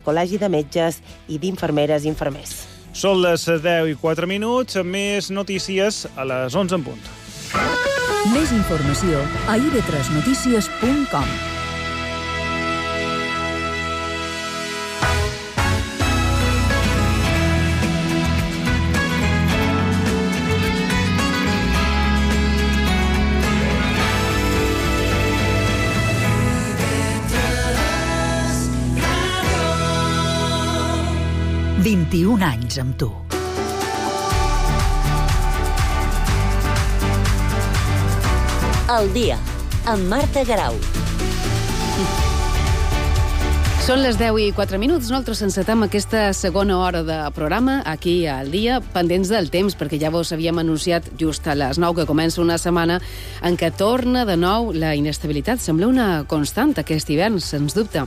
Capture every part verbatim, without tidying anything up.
Col·legi de Metges i d'Infermeres i Infermers. Són les deu i quatre minuts, més notícies a les onze en punt. Més informació a i ve tres notícies punt com. vint-i-un anys amb tu. El dia, amb Marta Garau. Són les deu i quatre minuts. Nosaltres encetem aquesta segona hora de programa aquí al dia, pendents del temps, perquè ja vos havíem anunciat just a les nou que comença una setmana en què torna de nou la inestabilitat. Sembla una constant aquest hivern, sens dubte.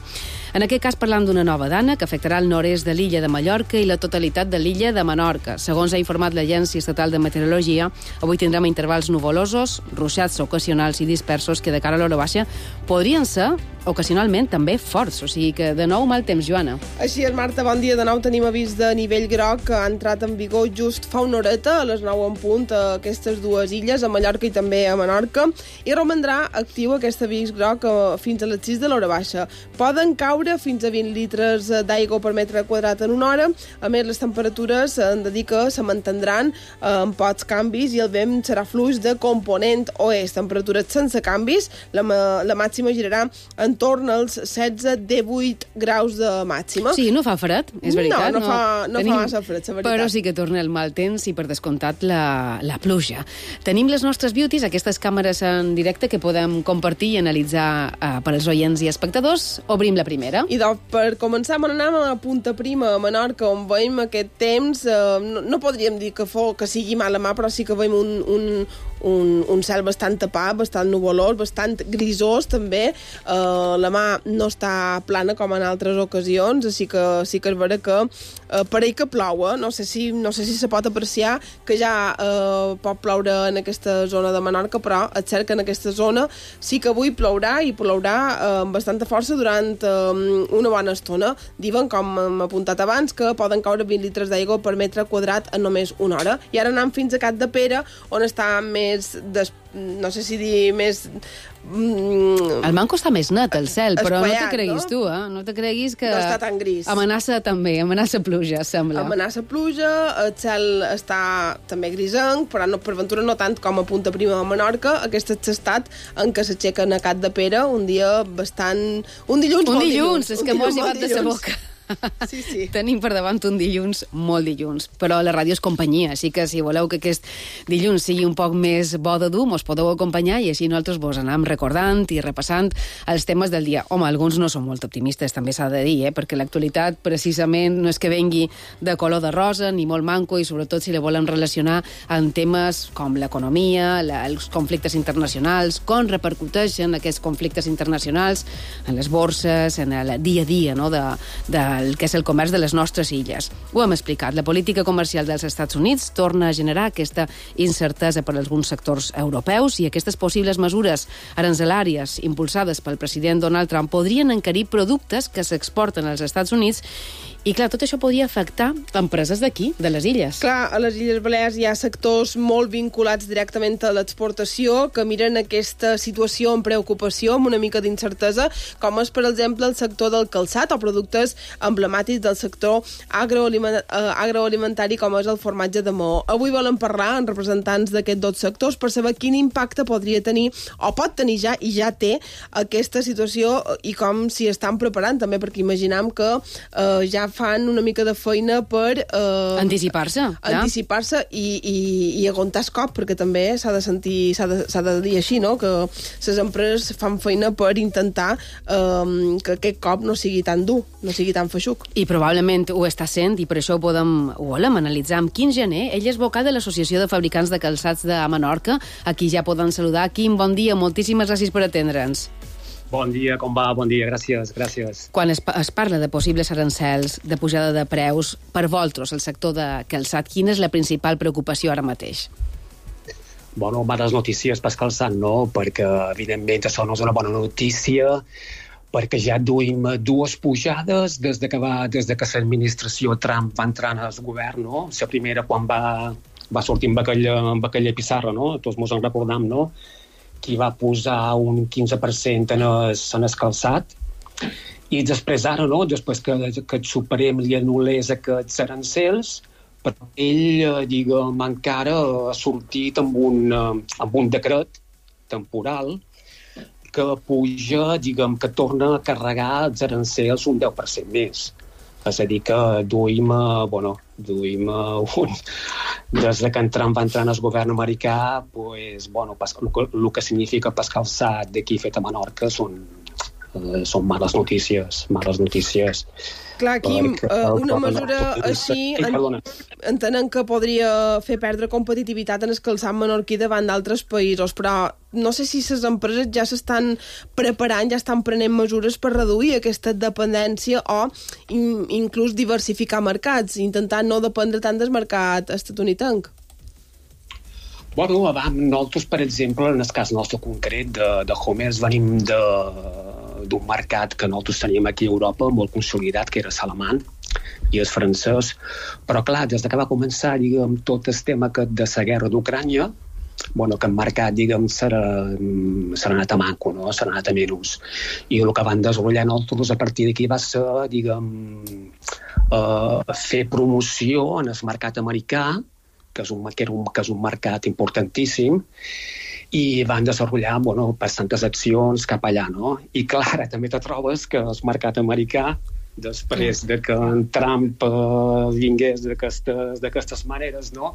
En aquest cas parlam d'una nova dana que afectarà el nord-est de l'illa de Mallorca i la totalitat de l'illa de Menorca. Segons ha informat l'Agència Estatal de Meteorologia, avui tindrem intervals nuvolosos, ruixats ocasionals i dispersos que de cara a l'hora baixa podrien ser ocasionalment també forts. O sigui que de nou mal temps, Joana. Així és, Marta, bon dia. De nou tenim avís de nivell groc que ha entrat en vigor just fa una horeta, a les nou en punt, a aquestes dues illes, a Mallorca i també a Menorca, i romandrà actiu aquest avís groc fins a les sis de l'hora baixa. Poden caure fins a vint litres d'aigua per metre quadrat en una hora. A més, les temperatures han de dir que se mantindran amb pocs canvis i el vent serà fluix de component oest. Temperatures sense canvis. La, la màxima girarà en torn als setze divuit graus de màxima. Sí, no fa fred, és veritat. No, no, no fa, no Tenim... fa massa fred, la veritat. Però sí que torna el mal temps i, per descomptat, la, la pluja. Tenim les nostres beauties, aquestes càmeres en directe que podem compartir i analitzar uh, per als oients i espectadors. Obrim la primera. I doncs, per començar, anem a Punta Prima, a Menorca, on veiem aquest temps. Eh, no, no podríem dir que, fos, que sigui mala mà, però sí que veiem un, un, un, un cel bastant tapat, bastant nuvolós, bastant grisós, també. Eh, la mà no està plana com en altres ocasions, així que sí que és vera que eh, parell que plou, eh? no sé si no sé si se pot apreciar que ja eh, pot ploure en aquesta zona de Menorca, però és cert que en aquesta zona sí que avui plourà i plourà eh, amb bastanta força durant eh, una bona estona. Diuen, com hem apuntat abans, que poden caure vint litres d'aigua per metre quadrat en només una hora. I ara anem fins a Capdepera, on està més, des, no sé si dir més... Mm, el manco està més net, el cel, però espaiat, no te creguis no? tu, eh? No te creguis que... No està tan gris. Amenaça també, amenaça pluja, sembla. Amenaça pluja, el cel està també grisenc, però no, per ventura no tant com a Punta Prima de Menorca. Aquest és l'estat en què s'aixequen a Capdepera un dia bastant... Un dilluns, un molt dilluns, dilluns. És que m'ho has llevat de sa boca. Sí, sí. Tenim per davant un dilluns, molt dilluns, però la ràdio és companyia, així que si voleu que aquest dilluns sigui un poc més bo de dur, mos podeu acompanyar i així nosaltres vos anem recordant i repassant els temes del dia. Home, alguns no són molt optimistes, també s'ha de dir, eh? Perquè l'actualitat precisament no és que vengui de color de rosa ni molt manco, i sobretot si la volem relacionar amb temes com l'economia, la, els conflictes internacionals, com repercuteixen aquests conflictes internacionals en les borses, en el dia a dia, no?, de, de el que és el comerç de les nostres illes. Ho hem explicat. La política comercial dels Estats Units torna a generar aquesta incertesa per a alguns sectors europeus i aquestes possibles mesures aranzelàries impulsades pel president Donald Trump podrien encarir productes que s'exporten als Estats Units. I, clar, tot això podria afectar empreses d'aquí, de les illes. Clar, a les Illes Balears hi ha sectors molt vinculats directament a l'exportació que miren aquesta situació amb preocupació, amb una mica d'incertesa, com és, per exemple, el sector del calçat o productes emblemàtics del sector agroaliment eh, agroalimentari, com és el formatge de Maó. Avui volen parlar amb representants d'aquests dos sectors per saber quin impacte podria tenir, o pot tenir ja, i ja té, aquesta situació i com s'hi estan preparant, també, perquè imaginem que eh, ja fan una mica de feina per... Eh, anticipar-se. Anticipar-se i, i, i aguantar el cop, perquè també s'ha de sentir, s'ha de, s'ha de dir així, no?, que les empreses fan feina per intentar eh, que aquest cop no sigui tan dur, no sigui tan feixuc. I probablement ho està sent, i per això ho podem, ho volem analitzar amb Quim Gené. Ell és vocal de l'Associació de Fabricants de Calçats de Menorca. Aquí ja poden saludar. Quim, bon dia, moltíssimes gràcies per atendre'ns. Bon dia, com va? Bon dia, gràcies, gràcies. Quan es, es parla de possibles arancels, de pujada de preus, per vosaltres, el sector de calçat, quina és la principal preocupació ara mateix? Bueno, males notícies per calçat, no? Perquè, evidentment, això no és una bona notícia perquè ja duim dues pujades des de que, va, des de que l'administració Trump va entrar en el govern, no? La primera quan va, va sortir amb aquella, amb aquella pissarra, no? Tots ens en recordam, no? Que va posar un quinze per cent en el, en el calçat, i després ara, no? Després que, que el Suprem li anul·lés aquests arancels, però ell, diguem, encara ha sortit amb un, amb un decret temporal que puja, diguem, que torna a carregar els arancels un deu per cent més. És a dir, que duim, bueno, duim un... Des que en Trump va entrar en el govern americà, pues, bueno, el que significa pas calçat d'aquí fet a Menorca són, eh, són males notícies, males notícies. Clar, Quim, uh, una mesura així en, entenem que podria fer perdre competitivitat en el calçat menorquí davant d'altres països, però no sé si les empreses ja s'estan preparant, ja estan prenent mesures per reduir aquesta dependència o in, inclús diversificar mercats, intentar no dependre tant del mercat estatunidenc. Bueno, abans, nosaltres, per exemple, en el cas nostre concret de, de Homers, venim de d'un mercat que nosaltres teníem aquí a Europa molt consolidat, que era l'alemany i el francès, però clar, des que va començar, diguem, tot el tema de la guerra d'Ucrània, bueno, que el mercat, diguem, s'ha anat a manco, no? S'ha anat a menys. I el que van desenvolupar nosaltres a partir d'aquí va ser, diguem, uh, fer promoció en el mercat americà, que és un, que era un, que és un mercat importantíssim, i van desenvolupar, bueno, bastantes accions cap allà, no? I clar, també te trobes que el mercat americà, després de que en Trump eh, vingués d'aquestes, d'aquestes maneres, no?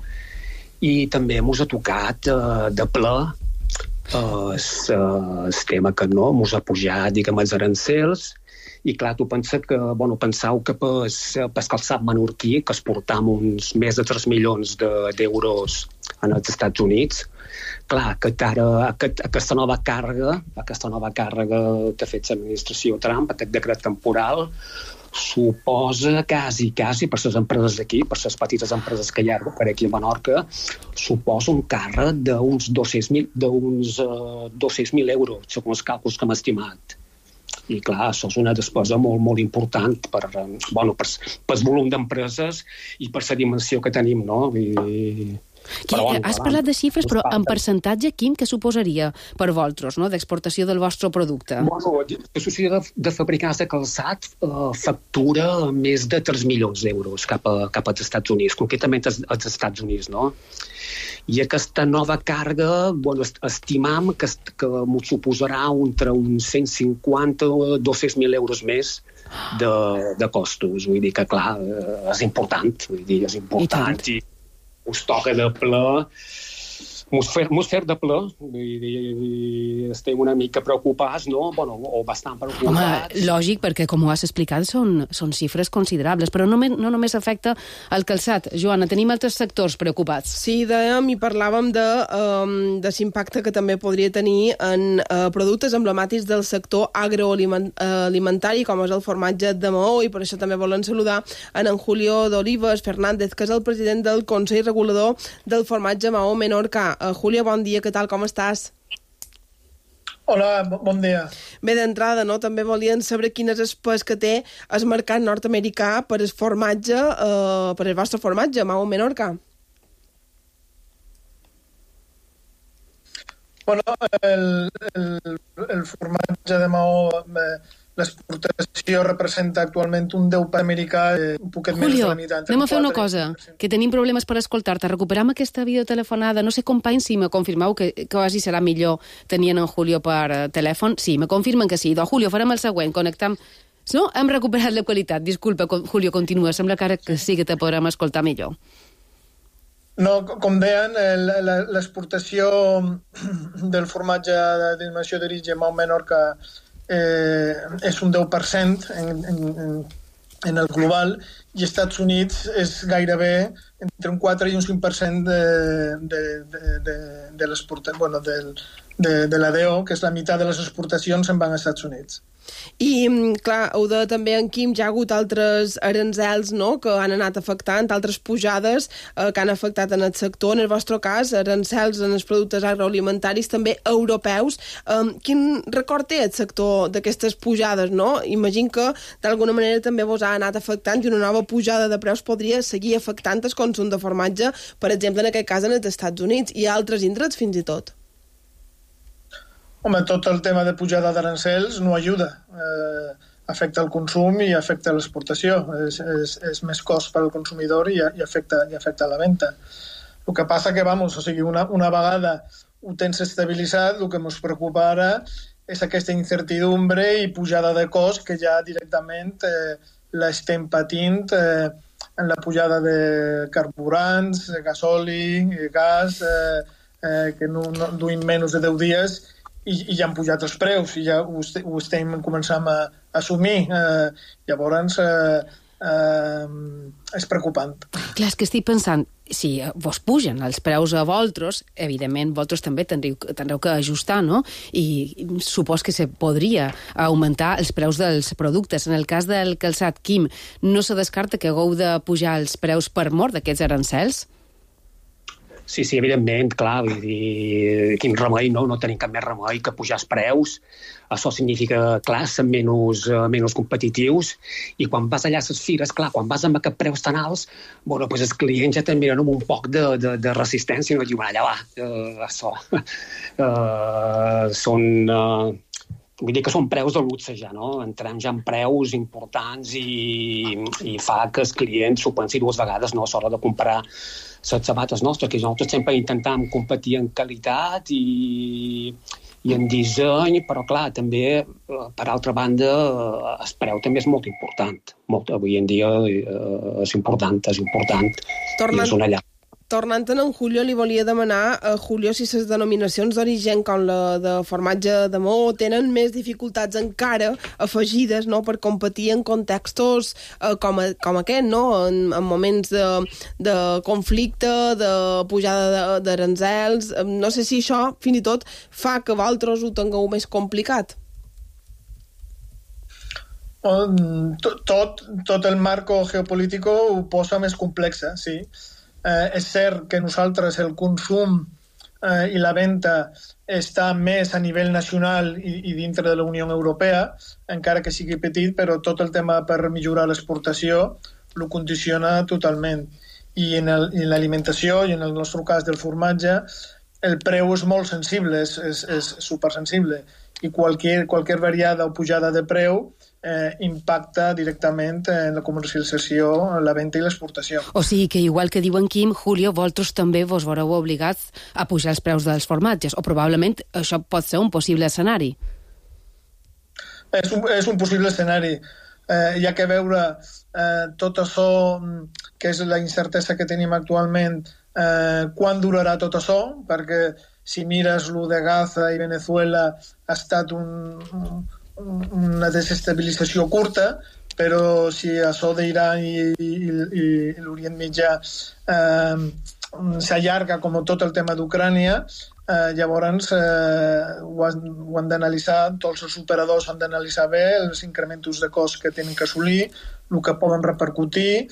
I també ens ha tocat eh, de ple el eh, tema que no, ens ha pujat, diguem, els arancels, i clar, tu pensa que, bueno, pensau que per, per calçat menorquí, que es portam uns més de tres milions d'euros en els Estats Units, clar, que ara, aquest, aquesta nova càrrega, aquesta nova càrrega que ha fet l'administració Trump, aquest decret temporal, suposa quasi, quasi, per les empreses d'aquí, per les petites empreses que hi ha per aquí a Menorca, suposa un càrrec d'uns dos-cents mil d'uns uh, dos-cents mil euros, segons els càlculs que hem estimat. I clar, això és una despesa molt, molt important per, bueno, per, per el volum d'empreses i per la dimensió que tenim, no? I... Qui, bueno, has parlat de xifres, però en percentatge, Quim, què suposaria per vosaltres, no?, d'exportació del vostre producte? Bueno, l'associació de, de fabricants de calçat eh, factura més de tres milions d'euros cap, a, cap als Estats Units, concretament als, als Estats Units, no? I aquesta nova càrrega, bueno, estimam que, que m'ho suposarà entre uns cent cinquanta o dos-cents mil euros més de, de costos. Vull dir que, clar, és important, vull dir, és important. I, I us toca de ple, mos fer, mos fer de ple, i, i, i estem una mica preocupats, no? Bueno, o bastant preocupats. Home, lògic, perquè com ho has explicat són, són xifres considerables, però no, no només afecta el calçat. Joana, tenim altres sectors preocupats. Sí, dèiem i parlàvem de, um, de l'impacte que també podria tenir en uh, productes emblemàtics del sector agroalimentari, com és el formatge de Maó, i per això també volem saludar en, en Julio d'Olives Fernández, que és el president del Consell Regulador del Formatge Maó Menorca. Uh, Julio, bon dia, què tal, com estàs? Hola, bon dia. Bé, d'entrada, no? També volien saber quin és el pes que té el mercat nord-americà per el formatge, eh, per el vostre formatge, Maó Menorca. Bueno, el, el, el formatge de Maó, l'exportació representa actualment un deu per cent americà, un poquet Julio, més de la meitat. anem a fer una cosa, que tenim problemes per escoltar-te. Recuperam aquesta videotelefonada. No sé, companys, si me confirmeu que quasi serà millor tenint en Julio per telèfon. Sí, me confirmen que sí. Doncs, Julio, farem el següent. Connectam... No? Hem recuperat la qualitat. Disculpa, Julio, continua. Sembla que ara que sí que te podrem escoltar millor. No, com deien, l'exportació del formatge de denominació d'origen Maó Menorca eh, és un deu per cent en, en, en el global, i als Estats Units és gairebé entre un quatre i un cinc per cent de, de, de, de, de l'exportació, bueno, del, de, de l'A D O, que és la meitat de les exportacions, se'n van als Estats Units. I, clar, ho de també en Quim, ja ha hagut altres aranzels, no?, que han anat afectant, altres pujades eh, que han afectat en el sector. En el vostre cas, aranzels en els productes agroalimentaris, també europeus. Eh, quin record té el sector d'aquestes pujades, no? Imagino que, d'alguna manera, també vos ha anat afectant i una nova pujada de preus podria seguir afectant el consum de formatge, per exemple, en aquest cas, en els Estats Units i altres indrets, fins i tot. Home, tot el tema de pujada d'arancels no ajuda. Eh, afecta el consum i afecta l'exportació. És, és, és més cost per al consumidor i, i, afecta, i afecta la venda. El que passa que, vamos, o sigui, una, una vegada ho tens estabilitzat, el que ens preocupa ara és aquesta incertidumbre i pujada de cost que ja directament eh, l'estem patint eh, en la pujada de carburants, gasoli, gas, eh, eh, que no, no duim menys de deu dies i, i ja han pujat els preus i ja ho, est ho estem començant a, a assumir. Eh, llavors eh, eh, és preocupant. Clar, és que estic pensant, si vos pugen els preus a vosaltres, evidentment vosaltres també tindreu, tindreu que ajustar, no? I supos que se podria augmentar els preus dels productes. En el cas del calçat, Quim, no se descarta que hagueu de pujar els preus per mort d'aquests arancels? Sí, sí, evidentment, clar, vull dir, quin remei, no? No tenim cap més remei que pujar els preus. Això significa, clar, ser menys, menys competitius, i quan vas allà a les fires, clar, quan vas amb aquests preus tan alts, bueno, pues els clients ja te'n miren amb un poc de, de, de resistència i no diuen, allà va, uh, això, uh, són... Uh, Vull dir que són preus de luxe ja, no? Entrem ja en preus importants i, i fa que els clients s'ho pensin dues vegades, no? A l'hora de comprar les sabates nostres, que nosaltres sempre intentem competir en qualitat i, i en disseny, però clar, també, per altra banda, el preu també és molt important. Molt, avui en dia eh, és important, és important. Tornant... I és una llar. Tornant en Julio, li volia demanar a Julio si les denominacions d'origen com la de formatge de Maó tenen més dificultats encara afegides, no?, per competir en contextos eh, com, a, com aquest, no?, en, en moments de, de conflicte, de pujada d'aranzels. No sé si això, fins i tot, fa que vosaltres ho tingueu més complicat. Tot, tot el marco geopolítico ho posa més complexa, sí. Eh, és cert que nosaltres el consum eh, i la venda està més a nivell nacional i, i dintre de la Unió Europea, encara que sigui petit, però tot el tema per millorar l'exportació ho condiciona totalment. I en l'alimentació, i en el nostre cas del formatge, el preu és molt sensible, és, és, és supersensible, i qualsevol, qualsevol variada o pujada de preu eh, impacta directament en la comercialització, la venda i l'exportació. O sigui que, igual que diu en Quim, Julio, vosaltres també vos veureu obligats a pujar els preus dels formatges, o probablement això pot ser un possible escenari. És un, és un possible escenari. Eh, hi ha que veure eh, tot això, que és la incertesa que tenim actualment, eh, quan durarà tot això, perquè si mires lo de Gaza i Venezuela ha estat un, un, una desestabilització curta, però si això d'Iran i, i, i, i l'Orient Mitjà eh, s'allarga com tot el tema d'Ucrània, eh, llavors eh, ho han, ho han d'analitzar, tots els operadors han d'analitzar bé els incrementos de cost que tenen que assolir, el que poden repercutir,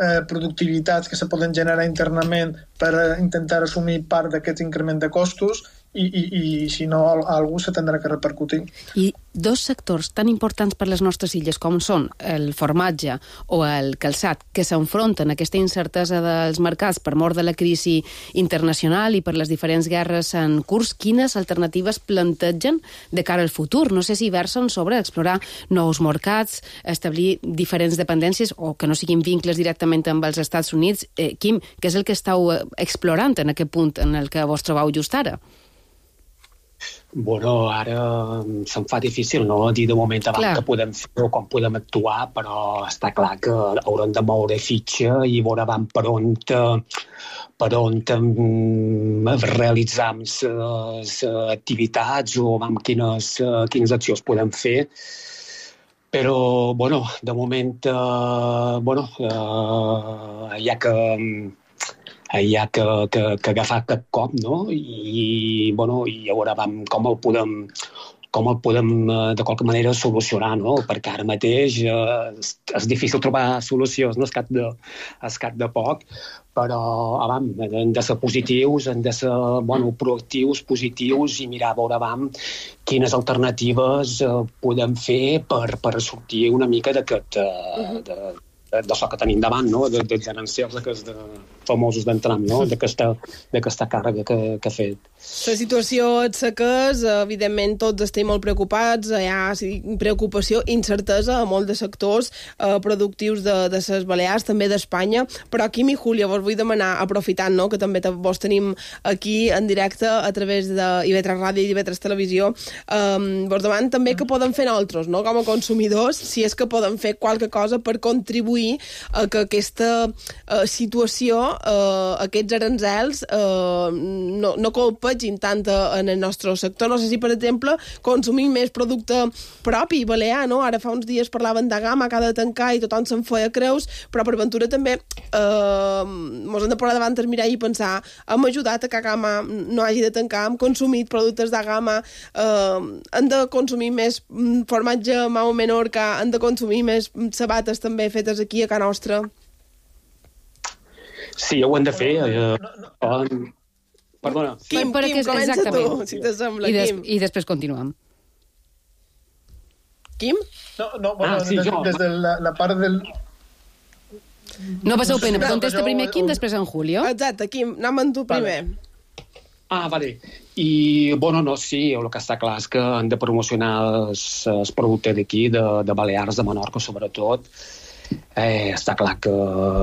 Eh, productivitats que se poden generar internament per intentar assumir part d'aquest increment de costos i, i, i si no, algú se tindrà que repercutir. I dos sectors tan importants per les nostres illes com són el formatge o el calçat, que s'enfronten a aquesta incertesa dels mercats per mort de la crisi internacional i per les diferents guerres en curs, quines alternatives plantegen de cara al futur? No sé si versen sobre explorar nous mercats, establir diferents dependències o que no siguin vincles directament amb els Estats Units. Eh, Quim, què és el que esteu explorant en aquest punt en el que vos trobeu just ara? Bueno, ara se'm fa difícil, no?, dir de moment abans clar. Que podem fer o com podem actuar, però està clar que haurem de moure fitxa i veure van per on, per on um, realitzar les activitats o amb quines, quines accions podem fer. Però, bueno, de moment, uh, bueno, uh, hi ha que... hi ha que, que, que agafar cap cop, no? I, bueno, i veure com ho podem, com el podem, de qualque manera, solucionar, no? Perquè ara mateix eh, és difícil trobar solucions, no? Es cap de, es cap de poc, però abam, hem de ser positius, hem de ser bueno, proactius, positius i mirar a veure abam, quines alternatives eh, podem fer per, per sortir una mica d'aquest... Eh, de, d'això que tenim davant, no? de, de gerencials d'aquests de, famosos d'entram, no? d'aquesta càrrega que, que ha fet. La situació és que és, evidentment tots estem molt preocupats, hi ha preocupació, incertesa a molts de sectors eh, productius de, de les Balears, també d'Espanya, però Quim i Júlia, vos vull demanar, aprofitant no? que també vos tenim aquí en directe a través de I V tres Ràdio i I V tres Televisió, eh, vos demanem també que poden fer nosaltres, no? Com a consumidors, si és que poden fer qualque cosa per contribuir a que aquesta uh, situació, uh, aquests aranzels, uh, no, no colpegin tant en el nostre sector. No sé si, per exemple, consumim més producte propi, balear, no? Ara fa uns dies parlaven de Gama, que ha de tancar i tothom se'n feia creus, però per ventura també uh, mos hem de posar davant el mirall i pensar hem ajudat a que Gama no hagi de tancar, hem consumit productes de Gama, uh, hem de consumir més formatge Mau Menorca, hem de consumir més sabates també fetes aquí a casa nostra. Sí, ho hem de fer. Eh, eh, perdona. Quim, per, Quim, comença tu, si t'assembla, I, des, Quim. I després continuem. Quim? No, no, bueno, ah, sí, des, des de la, la part del... No passeu pena, no, contesta jo, primer Quim, un... després en Julio. Exacte, Quim, anem amb tu primer. Vale. Ah, vale. I, bueno, no, sí, el que està clar és que han de promocionar els productes d'aquí, de, de Balears, de Menorca, sobretot. Eh, està clar que,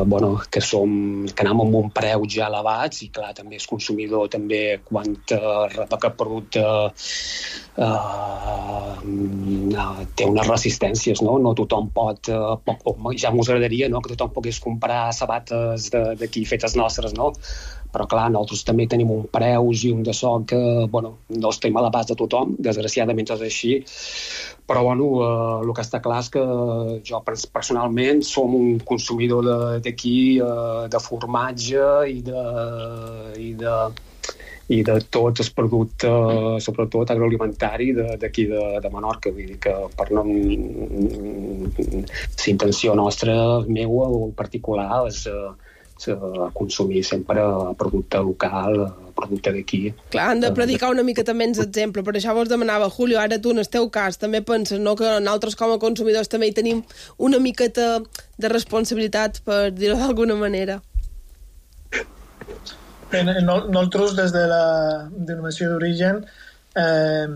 bueno, que, som, que anem amb un preu ja elevats i clar, també el consumidor també quan uh, rep aquest producte uh, té unes resistències, no? No tothom pot, uh, pot ja m'ho agradaria, no? Que tothom pogués comprar sabates d'aquí fetes nostres, no? Però clar, nosaltres també tenim un preus i un de so que, bueno, no estem a l'abast de tothom, desgraciadament és així, però bueno, eh, el que està clar és que jo personalment som un consumidor d'aquí de, eh, de formatge i de, i de, i de tots els productes, sobretot agroalimentari d'aquí de, de Menorca. Vull dir que per no... La intenció nostra, meua o particular, és a consumir sempre producte local, producte d'aquí. Clar, han de predicar una mica també en l'exemple. Per això vos demanava, Julio, ara tu en el teu cas també penses, no?, que nosaltres com a consumidors també hi tenim una miqueta de responsabilitat, per dir-ho d'alguna manera. Bé, nosaltres des de la denominació d'origen eh,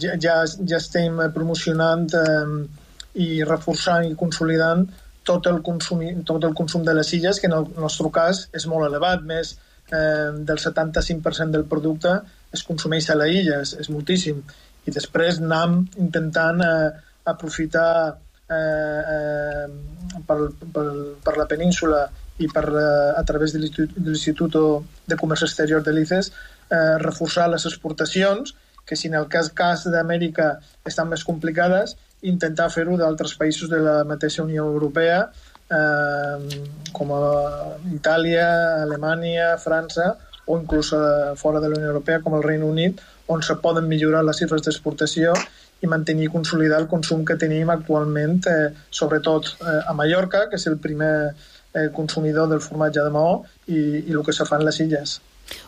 ja, ja, ja estem promocionant eh, i reforçant i consolidant tot el, consum, tot el consum de les illes, que en el nostre cas és molt elevat, més eh, del setanta-cinc per cent del producte es consumeix a la illa, és, és moltíssim. I després anem intentant eh, aprofitar eh, eh, per, per, per la península i per, eh, a través de l'Institut de Comerç Exterior de l'I C E S eh, reforçar les exportacions, que si en el cas, cas d'Amèrica estan més complicades, intentar fer-ho d'altres països de la mateixa Unió Europea, eh, com a Itàlia, Alemanya, França, o inclús fora de la Unió Europea, com el Regne Unit, on se poden millorar les xifres d'exportació i mantenir i consolidar el consum que tenim actualment, eh, sobretot eh, a Mallorca, que és el primer eh, consumidor del formatge de Maó, i, i el que se fa en les illes.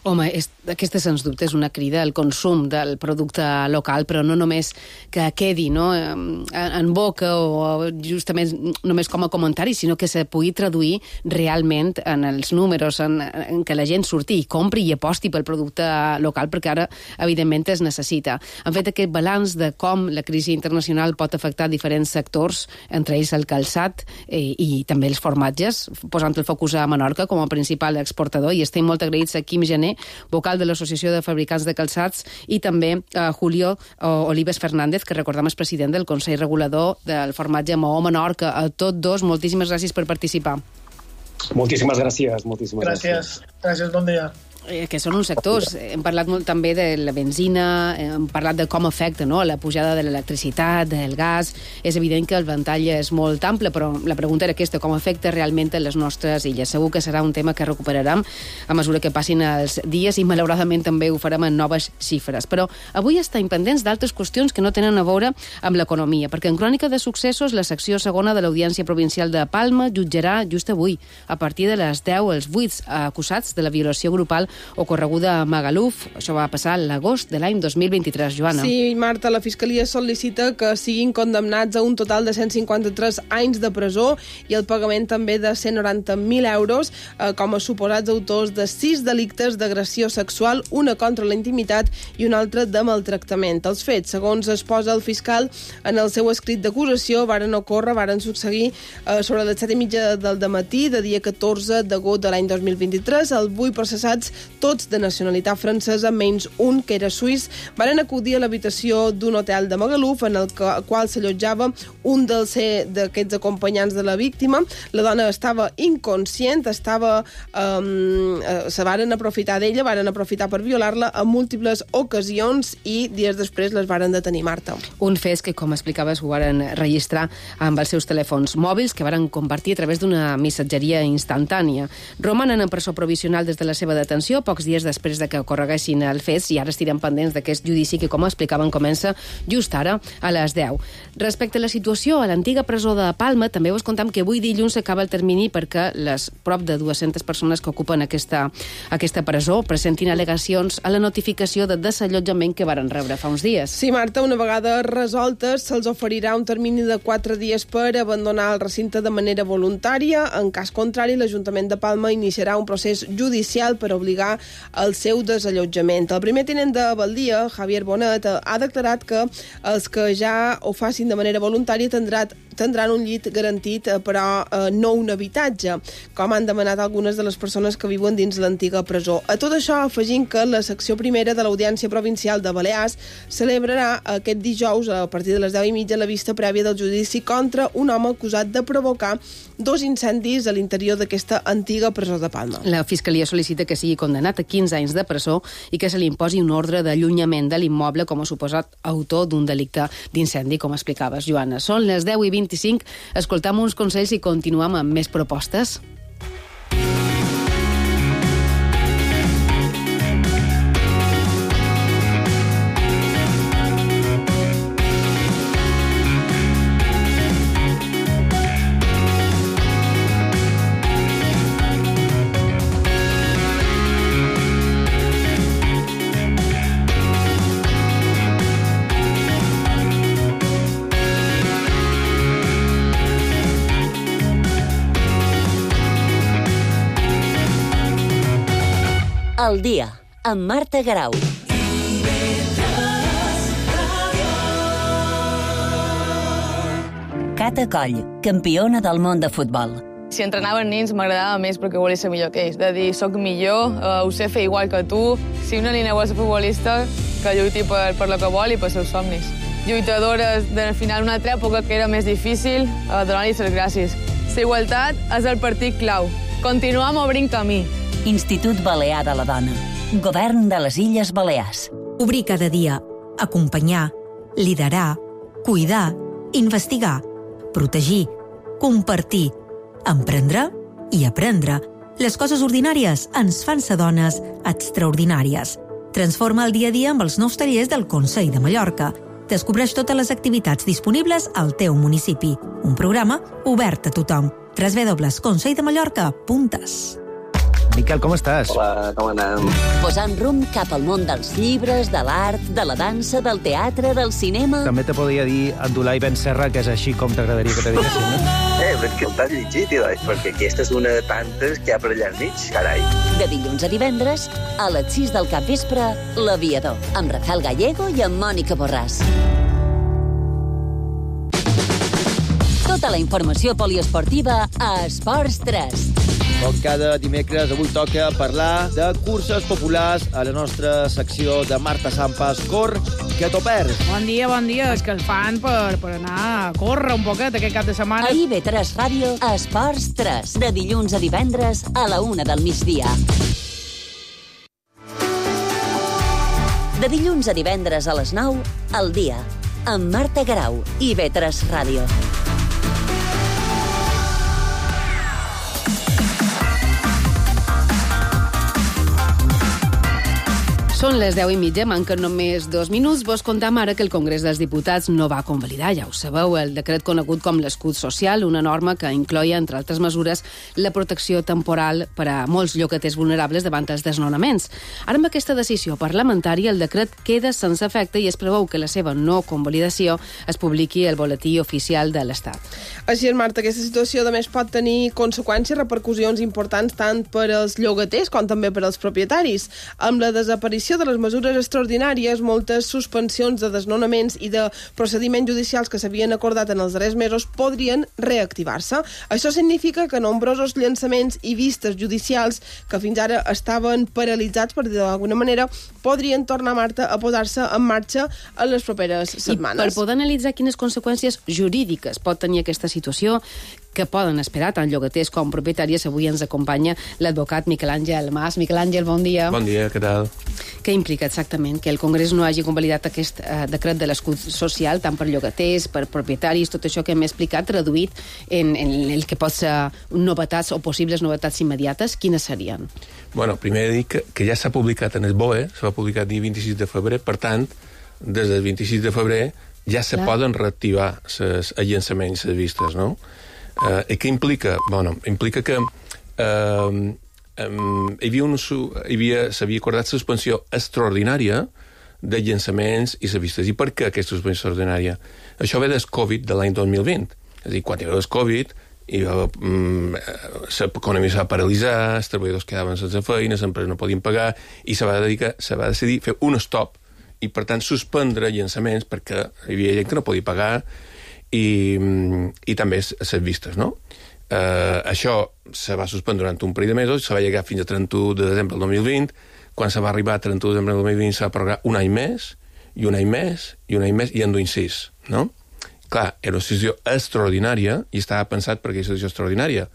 Home, és, aquesta sens dubte és una crida al consum del producte local, però no només que quedi, no?, en, en boca o justament només com a comentari, sinó que se pugui traduir realment en els números, en, en que la gent surti i compri i aposti pel producte local, perquè ara, evidentment, es necessita. Han fet aquest balanç de com la crisi internacional pot afectar diferents sectors, entre ells el calçat eh, i també els formatges, posant el focus a Menorca com a principal exportador, i estem molt agraïts a Quim Gené, vocal de l'Associació de Fabricants de Calçats, i també a Julio Olives Fernández, que recordem és president del Consell Regulador del Formatge Maó Menorca. A tots dos, moltíssimes gràcies per participar. Moltíssimes gràcies. Moltíssimes gràcies. Gràcies, gràcies, bon dia. eh, que són uns sectors. Hem parlat molt també de la benzina, hem parlat de com afecta, no?, la pujada de l'electricitat, del gas. És evident que el ventall és molt ample, però la pregunta era aquesta, com afecta realment les nostres illes. Segur que serà un tema que recuperarem a mesura que passin els dies i malauradament també ho farem en noves xifres. Però avui estem pendents d'altres qüestions que no tenen a veure amb l'economia, perquè en Crònica de Successos la secció segona de l'Audiència Provincial de Palma jutjarà just avui, a partir de les deu, els vuit acusats de la violació grupal ocorreguda a Magaluf. Això va passar l'agost de l'any dos mil vint-i-tres, Joana. Sí, Marta, la Fiscalia sol·licita que siguin condemnats a un total de cent cinquanta-tres anys de presó i el pagament també de cent noranta mil euros eh, com a suposats autors de sis delictes d'agressió sexual, una contra la intimitat i una altra de maltractament. Els fets, segons es posa el fiscal en el seu escrit d'acusació, varen ocórrer, varen succeir eh, sobre les set i mitja del dematí de dia catorze d'agost de l'any dos mil vint-i-tres. Els vuit processats, tots de nacionalitat francesa, menys un, que era suís, varen acudir a l'habitació d'un hotel de Magaluf en el qual s'allotjava un d'aquests acompanyants de la víctima. La dona estava inconscient, estava, um, se varen aprofitar d'ella, varen aprofitar per violar-la en múltiples ocasions i dies després les varen detenir, Marta. Un fet que, com explicaves, ho varen registrar amb els seus telèfons mòbils, que varen compartir a través d'una missatgeria instantània. Romanen en presó provisional des de la seva detenció, pocs dies després de que ocorreguessin els fets, i ara estirem pendents d'aquest judici que, com explicaven, comença just ara a les deu. Respecte a la situació a l'antiga presó de Palma, també us contam que avui dilluns s'acaba el termini perquè les prop de dues-centes persones que ocupen aquesta, aquesta presó presentin al·legacions a la notificació de desallotjament que varen rebre fa uns dies. Sí, Marta, una vegada resoltes se'ls oferirà un termini de quatre dies per abandonar el recinte de manera voluntària. En cas contrari, l'Ajuntament de Palma iniciarà un procés judicial per obligar el seu desallotjament. El primer tinent de Baldia, Javier Bonet, ha declarat que els que ja ho facin de manera voluntària tindran, tindran un llit garantit, però eh, no un habitatge, com han demanat algunes de les persones que viuen dins l'antiga presó. A tot això, afegint que la secció primera de l'Audiència Provincial de Balears celebrarà aquest dijous, a partir de les deu i mitja, la vista prèvia del judici contra un home acusat de provocar dos incendis a l'interior d'aquesta antiga presó de Palma. La Fiscalia sol·licita que sigui condemnat a quinze anys de presó i que se li imposi un ordre d'allunyament de l'immoble com a suposat autor d'un delicte d'incendi, com explicaves, Joana. Són les deu i vint-i-cinc, escoltam uns consells i continuem amb més propostes. El dia, amb Marta Garau. Cata Coll, campiona del món de futbol. Si entrenaven nens m'agradava més perquè volia ser millor que ells. De dir, soc millor, uh, ho sé fer igual que tu. Si una nena vol ser futbolista, que lluiti per, per lo que vol i per seus somnis. Lluitadores del final d'una altra època que era més difícil, uh, donar-li les gràcies. La igualtat és el partit clau. Continuem obrint camí. Institut Balear de la Dona. Govern de les Illes Balears. Obrir cada dia. Acompanyar. Liderar. Cuidar. Investigar. Protegir. Compartir. Emprendre i aprendre. Les coses ordinàries ens fan ser dones extraordinàries. Transforma el dia a dia amb els nous tallers del Consell de Mallorca. Descobreix totes les activitats disponibles al teu municipi. Un programa obert a tothom. w w w punt consell de mallorca punt es. Miquel, com estàs? Hola, com anem? Posant rumb cap al món dels llibres, de l'art, de la dansa, del teatre, del cinema... També te podria dir Abdulai Ben Serra, que és així com t'agradaria que te diguessin, no? Eh, però és que t'has llegit, Ilai, perquè aquesta és una de tantes que hi ha per allà enmig, carai. De dilluns a divendres, a les sis del capvespre, L'Aviador, amb Rafael Gallego i amb Mònica Borràs. Tota la informació poliesportiva a Esports tres. Com cada dimecres, avui toca parlar de curses populars a la nostra secció de Marta Sampas. Cor, que t'ho perds. Bon dia, bon dia. És que el fan per, per anar a córrer un poquet aquest cap de setmana. A I V tres Ràdio, Esports tres. De dilluns a divendres a la una del migdia. De dilluns a divendres a les nou, al dia, amb Marta Garau i I V tres Ràdio. Són les deu i mitja, manquen només dos minuts. Vos contam ara que el Congrés dels Diputats no va convalidar, ja ho sabeu, el decret conegut com l'escut social, una norma que incloia, entre altres mesures, la protecció temporal per a molts llogaters vulnerables davant els desnonaments. Ara, amb aquesta decisió parlamentària, el decret queda sense efecte i es preveu que la seva no convalidació es publiqui al boletí oficial de l'Estat. Així és, Marta, aquesta situació, a més, pot tenir conseqüències, repercussions importants tant per als llogaters com també per als propietaris. Amb la desaparició de les mesures extraordinàries, moltes suspensions de desnonaments i de procediments judicials que s'havien acordat en els darrers mesos podrien reactivar-se. Això significa que nombrosos llançaments i vistes judicials que fins ara estaven paralitzats, per dir d'alguna manera, podrien tornar, Marta, a posar-se en marxa en les properes setmanes. I per poder analitzar quines conseqüències jurídiques pot tenir aquesta situació, que poden esperar tant llogaters com propietaris, avui ens acompanya l'advocat Miquel Àngel Mas. Miquel Àngel, bon dia. Bon dia, què tal? Què implica exactament que el Congrés no hagi convalidat aquest eh, decret de l'escut social, tant per llogaters, per propietaris, tot això que hem explicat, traduït en, en el que pot ser novetats o possibles novetats immediates? Quines serien? Bueno, primer he dit que, que ja s'ha publicat en el B O E, s'ha publicat el dia vint-i-sis de febrer, per tant, des del vint-i-sis de febrer ja se Clar. poden reactivar els llançaments, les vistes, no? Uh, I què implica? Bueno, implica que uh, um, hi havia un, hi havia, s'havia acordat suspensió extraordinària de llançaments i les vistes. I per què aquesta suspensió extraordinària? Això ve del Covid de l'any dos mil vint. És a dir, quan hi va el Covid, i um, l'economia s'ha paralitzat, els treballadors quedaven sense feina, les empreses no podien pagar, i se va, dedicar, se va decidir fer un stop, i per tant suspendre llançaments perquè hi havia gent que no podia pagar, i, i també les vistes, no? Uh, això se va suspendre durant un parell de mesos, se va llegar fins a trenta-u de desembre del dos mil vint, quan se va arribar a trenta-u de desembre del dos mil vint se va prorrogar un any més, i un any més, i un any més, i en duim sis, no? Clar, era una situació extraordinària, i estava pensat perquè és una situació extraordinària.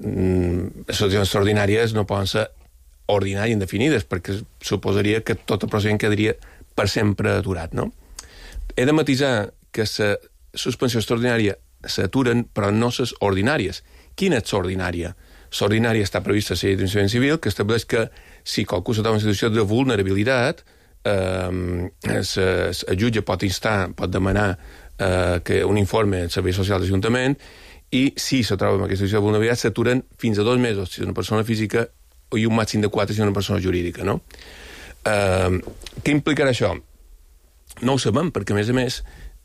Mm, les situacions extraordinàries no poden ser ordinàries indefinides, perquè suposaria que tot el procediment quedaria per sempre aturat, no? He de matisar que la suspensió extraordinària s'aturen, però no les ordinàries. Quina és l'ordinària? L'ordinària està prevista a la llei d'enjudiciament civil, que estableix que si qualcú s'ha en situació de vulnerabilitat, eh, el jutge pot instar, pot demanar eh, que un informe del Servei Social de l'Ajuntament, i si se troba en aquesta situació de vulnerabilitat, s'aturen fins a dos mesos si és una persona física i un màxim de quatre si és una persona jurídica, no? Eh, què implicarà això? No ho sabem, perquè, a més a més,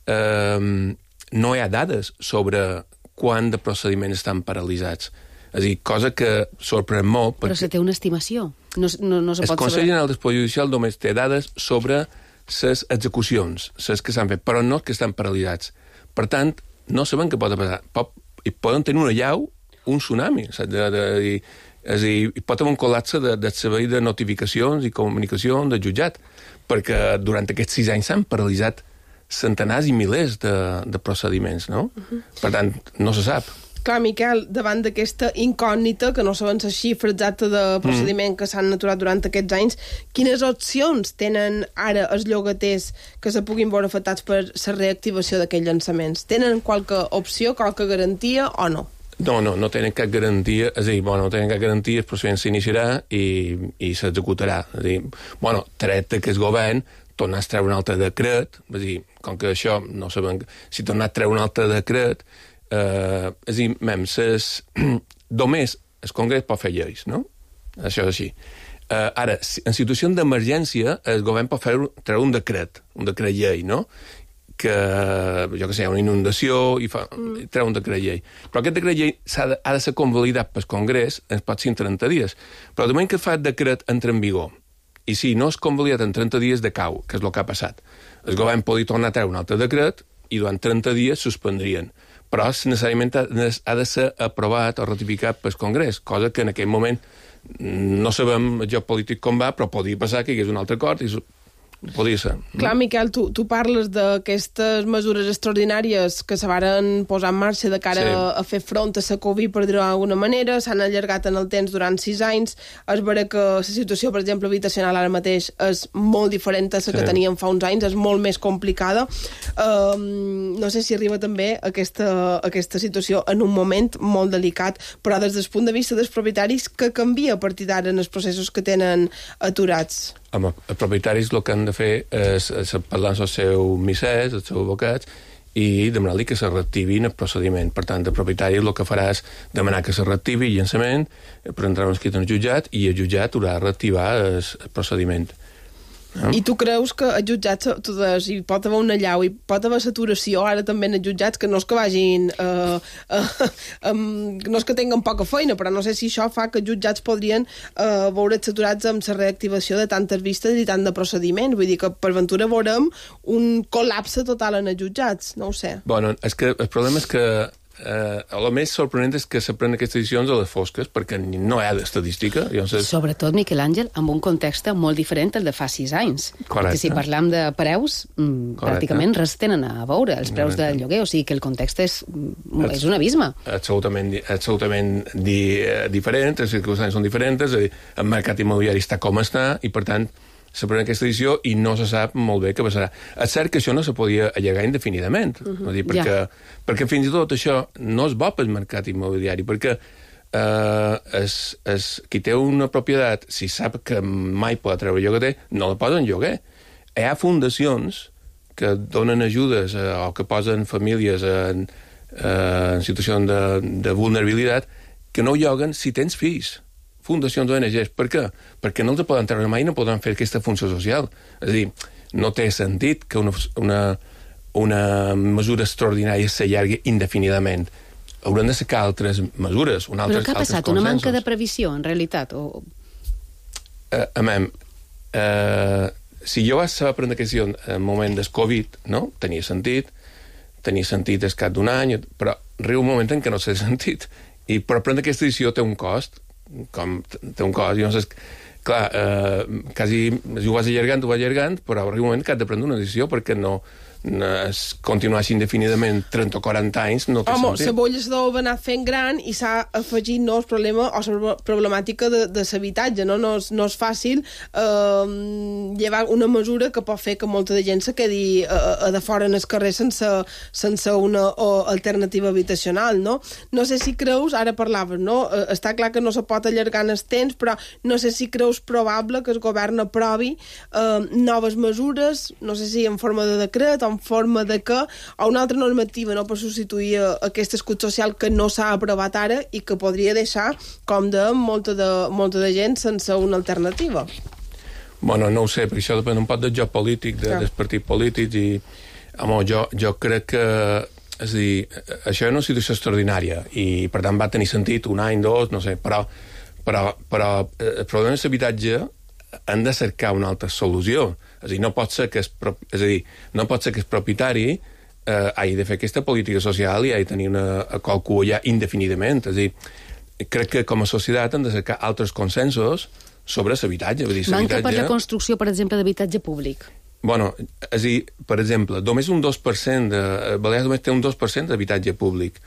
eh, no hi ha dades sobre quant de procediments estan paralitzats. És a dir, cosa que sorprèn molt... Però se té una estimació. No, no, no se el pot Consell saber. General del Poder Judicial només té dades sobre les execucions, les que s'han fet, però no que estan paralitzats. Per tant, no sabem què pot passar. Pot, i poden tenir una llau, un tsunami. De, de, de, és a dir, hi pot haver un col·lapse de, de servei de notificacions i comunicacions del jutjat, perquè durant aquests sis anys s'han paralitzat centenars i milers de, de procediments, no? Uh-huh. Per tant, no se sap. Clar, Miquel, davant d'aquesta incògnita, que no sabem la xifra exacta de procediment mm. que s'han aturat durant aquests anys, quines opcions tenen ara els llogaters que se puguin veure afectats per la reactivació d'aquests llançaments? Tenen qualque opció, qualque garantia o no? No, no, no tenen cap garantia, és a dir, bueno, no tenen cap garantia, el procediment s'iniciarà i, i s'executarà. És a dir, bueno, tret que el govern tornar a treure un altre decret, és a dir, com que això no sabem, si tornar a treure un altre decret, eh, és a dir, mem, ses, només el Congrés pot fer lleis, no? Això és així. Eh, ara, en situació d'emergència, el govern pot fer, treure un decret, un decret llei, no? Que, jo que sé, una inundació i fa, mm. treu un decret llei. Però aquest decret llei ha de, ha de ser convalidat pel Congrés, ens pot ser en trenta dies. Però de moment que fa el decret entra en vigor, i si no és convalidat en trenta dies decau, que és el que ha passat. El govern podria tornar a treure un altre decret i durant trenta dies suspendrien. Però necessàriament ha de ser aprovat o ratificat pel Congrés, cosa que en aquell moment no sabem el joc polític com va, però podria passar que hi hagués un altre acord i Podria ser. Clar, Miquel, tu, tu parles d'aquestes mesures extraordinàries que se varen posar en marxa de cara sí. a, a fer front a la Covid, per dir-ho d'alguna manera, s'han allargat en el temps durant sis anys. És vera que la situació, per exemple, habitacional ara mateix és molt diferent a la sí. que teníem fa uns anys, és molt més complicada. Um, no sé si arriba també aquesta, aquesta situació en un moment molt delicat, però des del punt de vista dels propietaris, que canvia a partir d'ara en els processos que tenen aturats? Home, els propietaris el que han de fer és, és parlar amb els seus missers, els seus advocats, i demanar-li que se reactivin el procediment. Per tant, el propietari el que farà és demanar que se reactivi el llançament, prendrà un escrit en el jutjat i el jutjat haurà de reactivar el, el procediment. No? I tu creus que els jutjats tu des, hi pot haver una llau, hi pot haver saturació ara també en els jutjats, que no és que vagin uh, uh, um, no és que tinguen poca feina, però no sé si això fa que els jutjats podrien uh, veure saturats amb la reactivació de tantes vistes i tant de procediments, vull dir que per ventura veurem un col·lapse total en els jutjats, no ho sé. Bueno, és que el problema és que Eh, el més sorprenent és que s'aprenen aquestes decisions a les fosques, perquè no hi ha d'estadística. Llavors... Sobretot, Miquel Àngel, amb un context molt diferent del de fa sis anys. Correcte. Perquè si parlam de preus, mm, pràcticament res tenen a veure, els preus Correcte. Del lloguer, o sigui que el context és, és un abisme. Absolutament, absolutament di, diferent, les circumstàncies són diferents, el mercat immobiliari està com està, i per tant s'aprèn aquesta edició i no se sap molt bé què passarà. És cert que això no se podia allargar indefinidament, uh -huh. dir, perquè, ja. perquè fins i tot això no és bo pel mercat immobiliari, perquè eh, es, es, qui té una propietat, si sap que mai pot treure lloguer, no la posa en lloguer. Hi ha fundacions que donen ajudes eh, o que posen famílies en, eh, en situació de, de vulnerabilitat que no lloguen si tens fills. Fundacions O N Ges. Per què? Perquè no els poden treure mai i no poden fer aquesta funció social. És a dir, no té sentit que una, una, una mesura extraordinària s'allargui indefinidament. Hauran de sacar altres mesures. Un altres, Però què ha passat? Una manca de previsió, en realitat? O... Uh, amem, uh, si jo vaig saber prendre aquesta decisió en el moment del Covid, no? Tenia sentit, tenia sentit al cap d'un any, però arriba un moment en què no té sentit. I per prendre aquesta decisió té un cost, com té un cost, i no sé, clar, eh, quasi ho vas allargant, ho vas allargant, però arriba un moment que has de prendre una decisió perquè no, no es continuar així indefinidament trenta o quaranta anys no té Home, sentit. la bolla s'ha anat fent gran i s'ha afegit no, el problema o la problemàtica de, de l'habitatge, no? No, és, no és fàcil eh, llevar una mesura que pot fer que molta de gent se quedi a, a de fora en el carrer sense, sense una o, alternativa habitacional, no? No sé si creus, ara parlaves, no? Eh, està clar que no se pot allargar en el temps, però no sé si creus probable que el govern aprovi eh, noves mesures, no sé si en forma de decret o en forma de que, o una altra normativa, no?, per substituir aquest escut social que no s'ha aprovat ara i que podria deixar, com de molta de, molta de gent sense una alternativa. Bueno, no ho sé, perquè això depèn un poc del joc polític, de, dels partits polítics, i home, jo, jo crec que, és a dir, això és una situació extraordinària i, per tant, va tenir sentit un any, dos, no sé, però, però, però el problema de l'habitatge han de cercar una altra solució. És a dir, no pot ser que es, és a dir, no pot ser que el propietari eh, hagi de fer aquesta política social i hagi de tenir una, qualcú allà indefinidament. És a dir, crec que com a societat han de cercar altres consensos sobre l'habitatge. Manca per la construcció, per exemple, d'habitatge públic. Bueno, és a dir, per exemple, només un dos per cent de... Balears només té un dos per cent d'habitatge públic.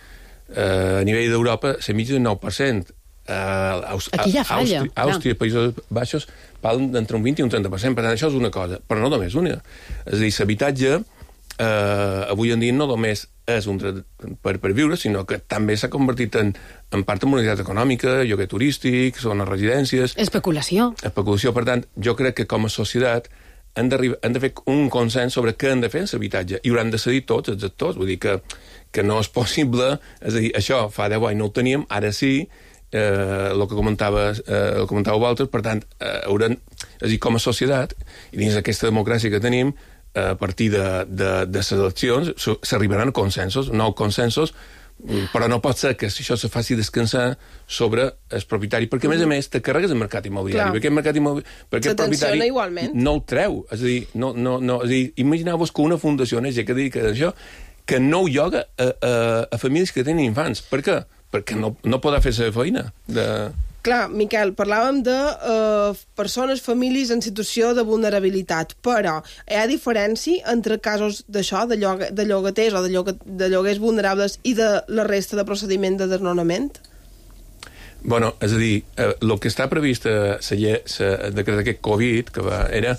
Eh, a nivell d'Europa, la mitja d'un nou per cent. Uh, Aquí ja falla. Àustria, Àustria Països Baixos parlen d'entre un vint i un trenta per cent, per tant això és una cosa, però no només una. És a dir, l'habitatge eh, avui en dia no només és un dret per, per viure, sinó que també s'ha convertit en, en part de mobilitat econòmica, lloguer turístic, zones residències... Especulació. Especulació, per tant, jo crec que com a societat han de, han de fer un consens sobre què han de fer en l'habitatge i hauran de cedir tots els actors, vull dir que, que no és possible, és a dir, això fa deu anys no ho teníem, ara sí, eh, el que comentava, eh, el comentava Walter, per tant, eh, hauran, és a dir, com a societat, i dins d'aquesta democràcia que tenim, eh, a partir de, de, de les eleccions, s'arribaran a consensos, nous consensos, però no pot ser que això se faci descansar sobre el propietari, perquè, a més a més, te carregues el mercat immobiliari, perquè el mercat immobiliari, perquè el propietari igualment. No el treu, és a dir, no, no, no, és a dir, imagineu-vos que una fundació O N G que dedica a això, que no ho lloga a, a, a famílies que tenen infants. Per què? Perquè no, no podrà fer la feina de... clar, Miquel, parlàvem de eh, persones, famílies en situació de vulnerabilitat, però hi ha diferència entre casos d'això, de, llog de llogaters o de, llog de lloguers vulnerables i de la resta de procediment de desnonament? Bueno, és a dir, el eh, que està previst a la decret d'aquest Covid que va, era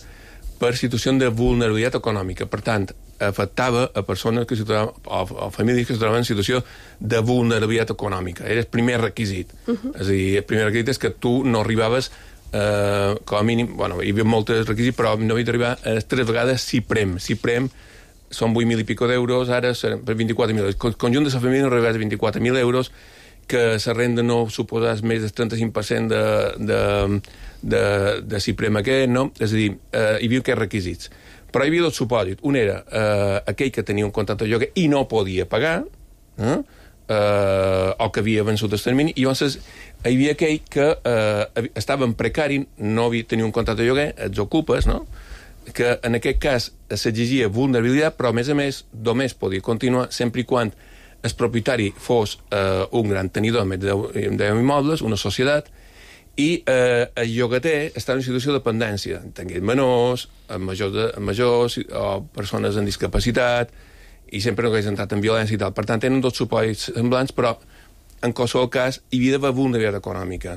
per situació de vulnerabilitat econòmica. Per tant, afectava a persones que o, o famílies que es trobaven en situació de vulnerabilitat econòmica. Era el primer requisit. Uh -huh. És a dir, el primer requisit és que tu no arribaves eh, com a mínim, bueno, hi havia molts requisits, però no havia d'arribar a tres vegades CIPREM. CIPREM són vuit mil i pico d'euros, ara seran per vint-i-quatre mil. El conjunt de la família no arribava a vint-i-quatre mil euros, que la renda no suposés més del trenta-cinc per cent de, de, de, de CIPREM aquest, no? És a dir, eh, hi havia aquests requisits. Però hi havia dos supòsits. Un era eh, aquell que tenia un contracte de lloguer i no podia pagar, eh? Eh, o que havia vençut el termini, i llavors hi havia aquell que eh, estava en precari, no havia, tenia un contracte de lloguer, els ocupes, no? Que en aquest cas s'exigia vulnerabilitat, però a més a més només podia continuar sempre i quan el propietari fos eh, un gran tenidor d'immobles, una societat, i eh, el llogater està en una situació de dependència, tingués menors, majors, de, majors o persones amb discapacitat, i sempre no hagués entrat en violència i tal. Per tant, tenen dos supòsits semblants, però en qualsevol cas hi havia d'haver vulnerabilitat econòmica.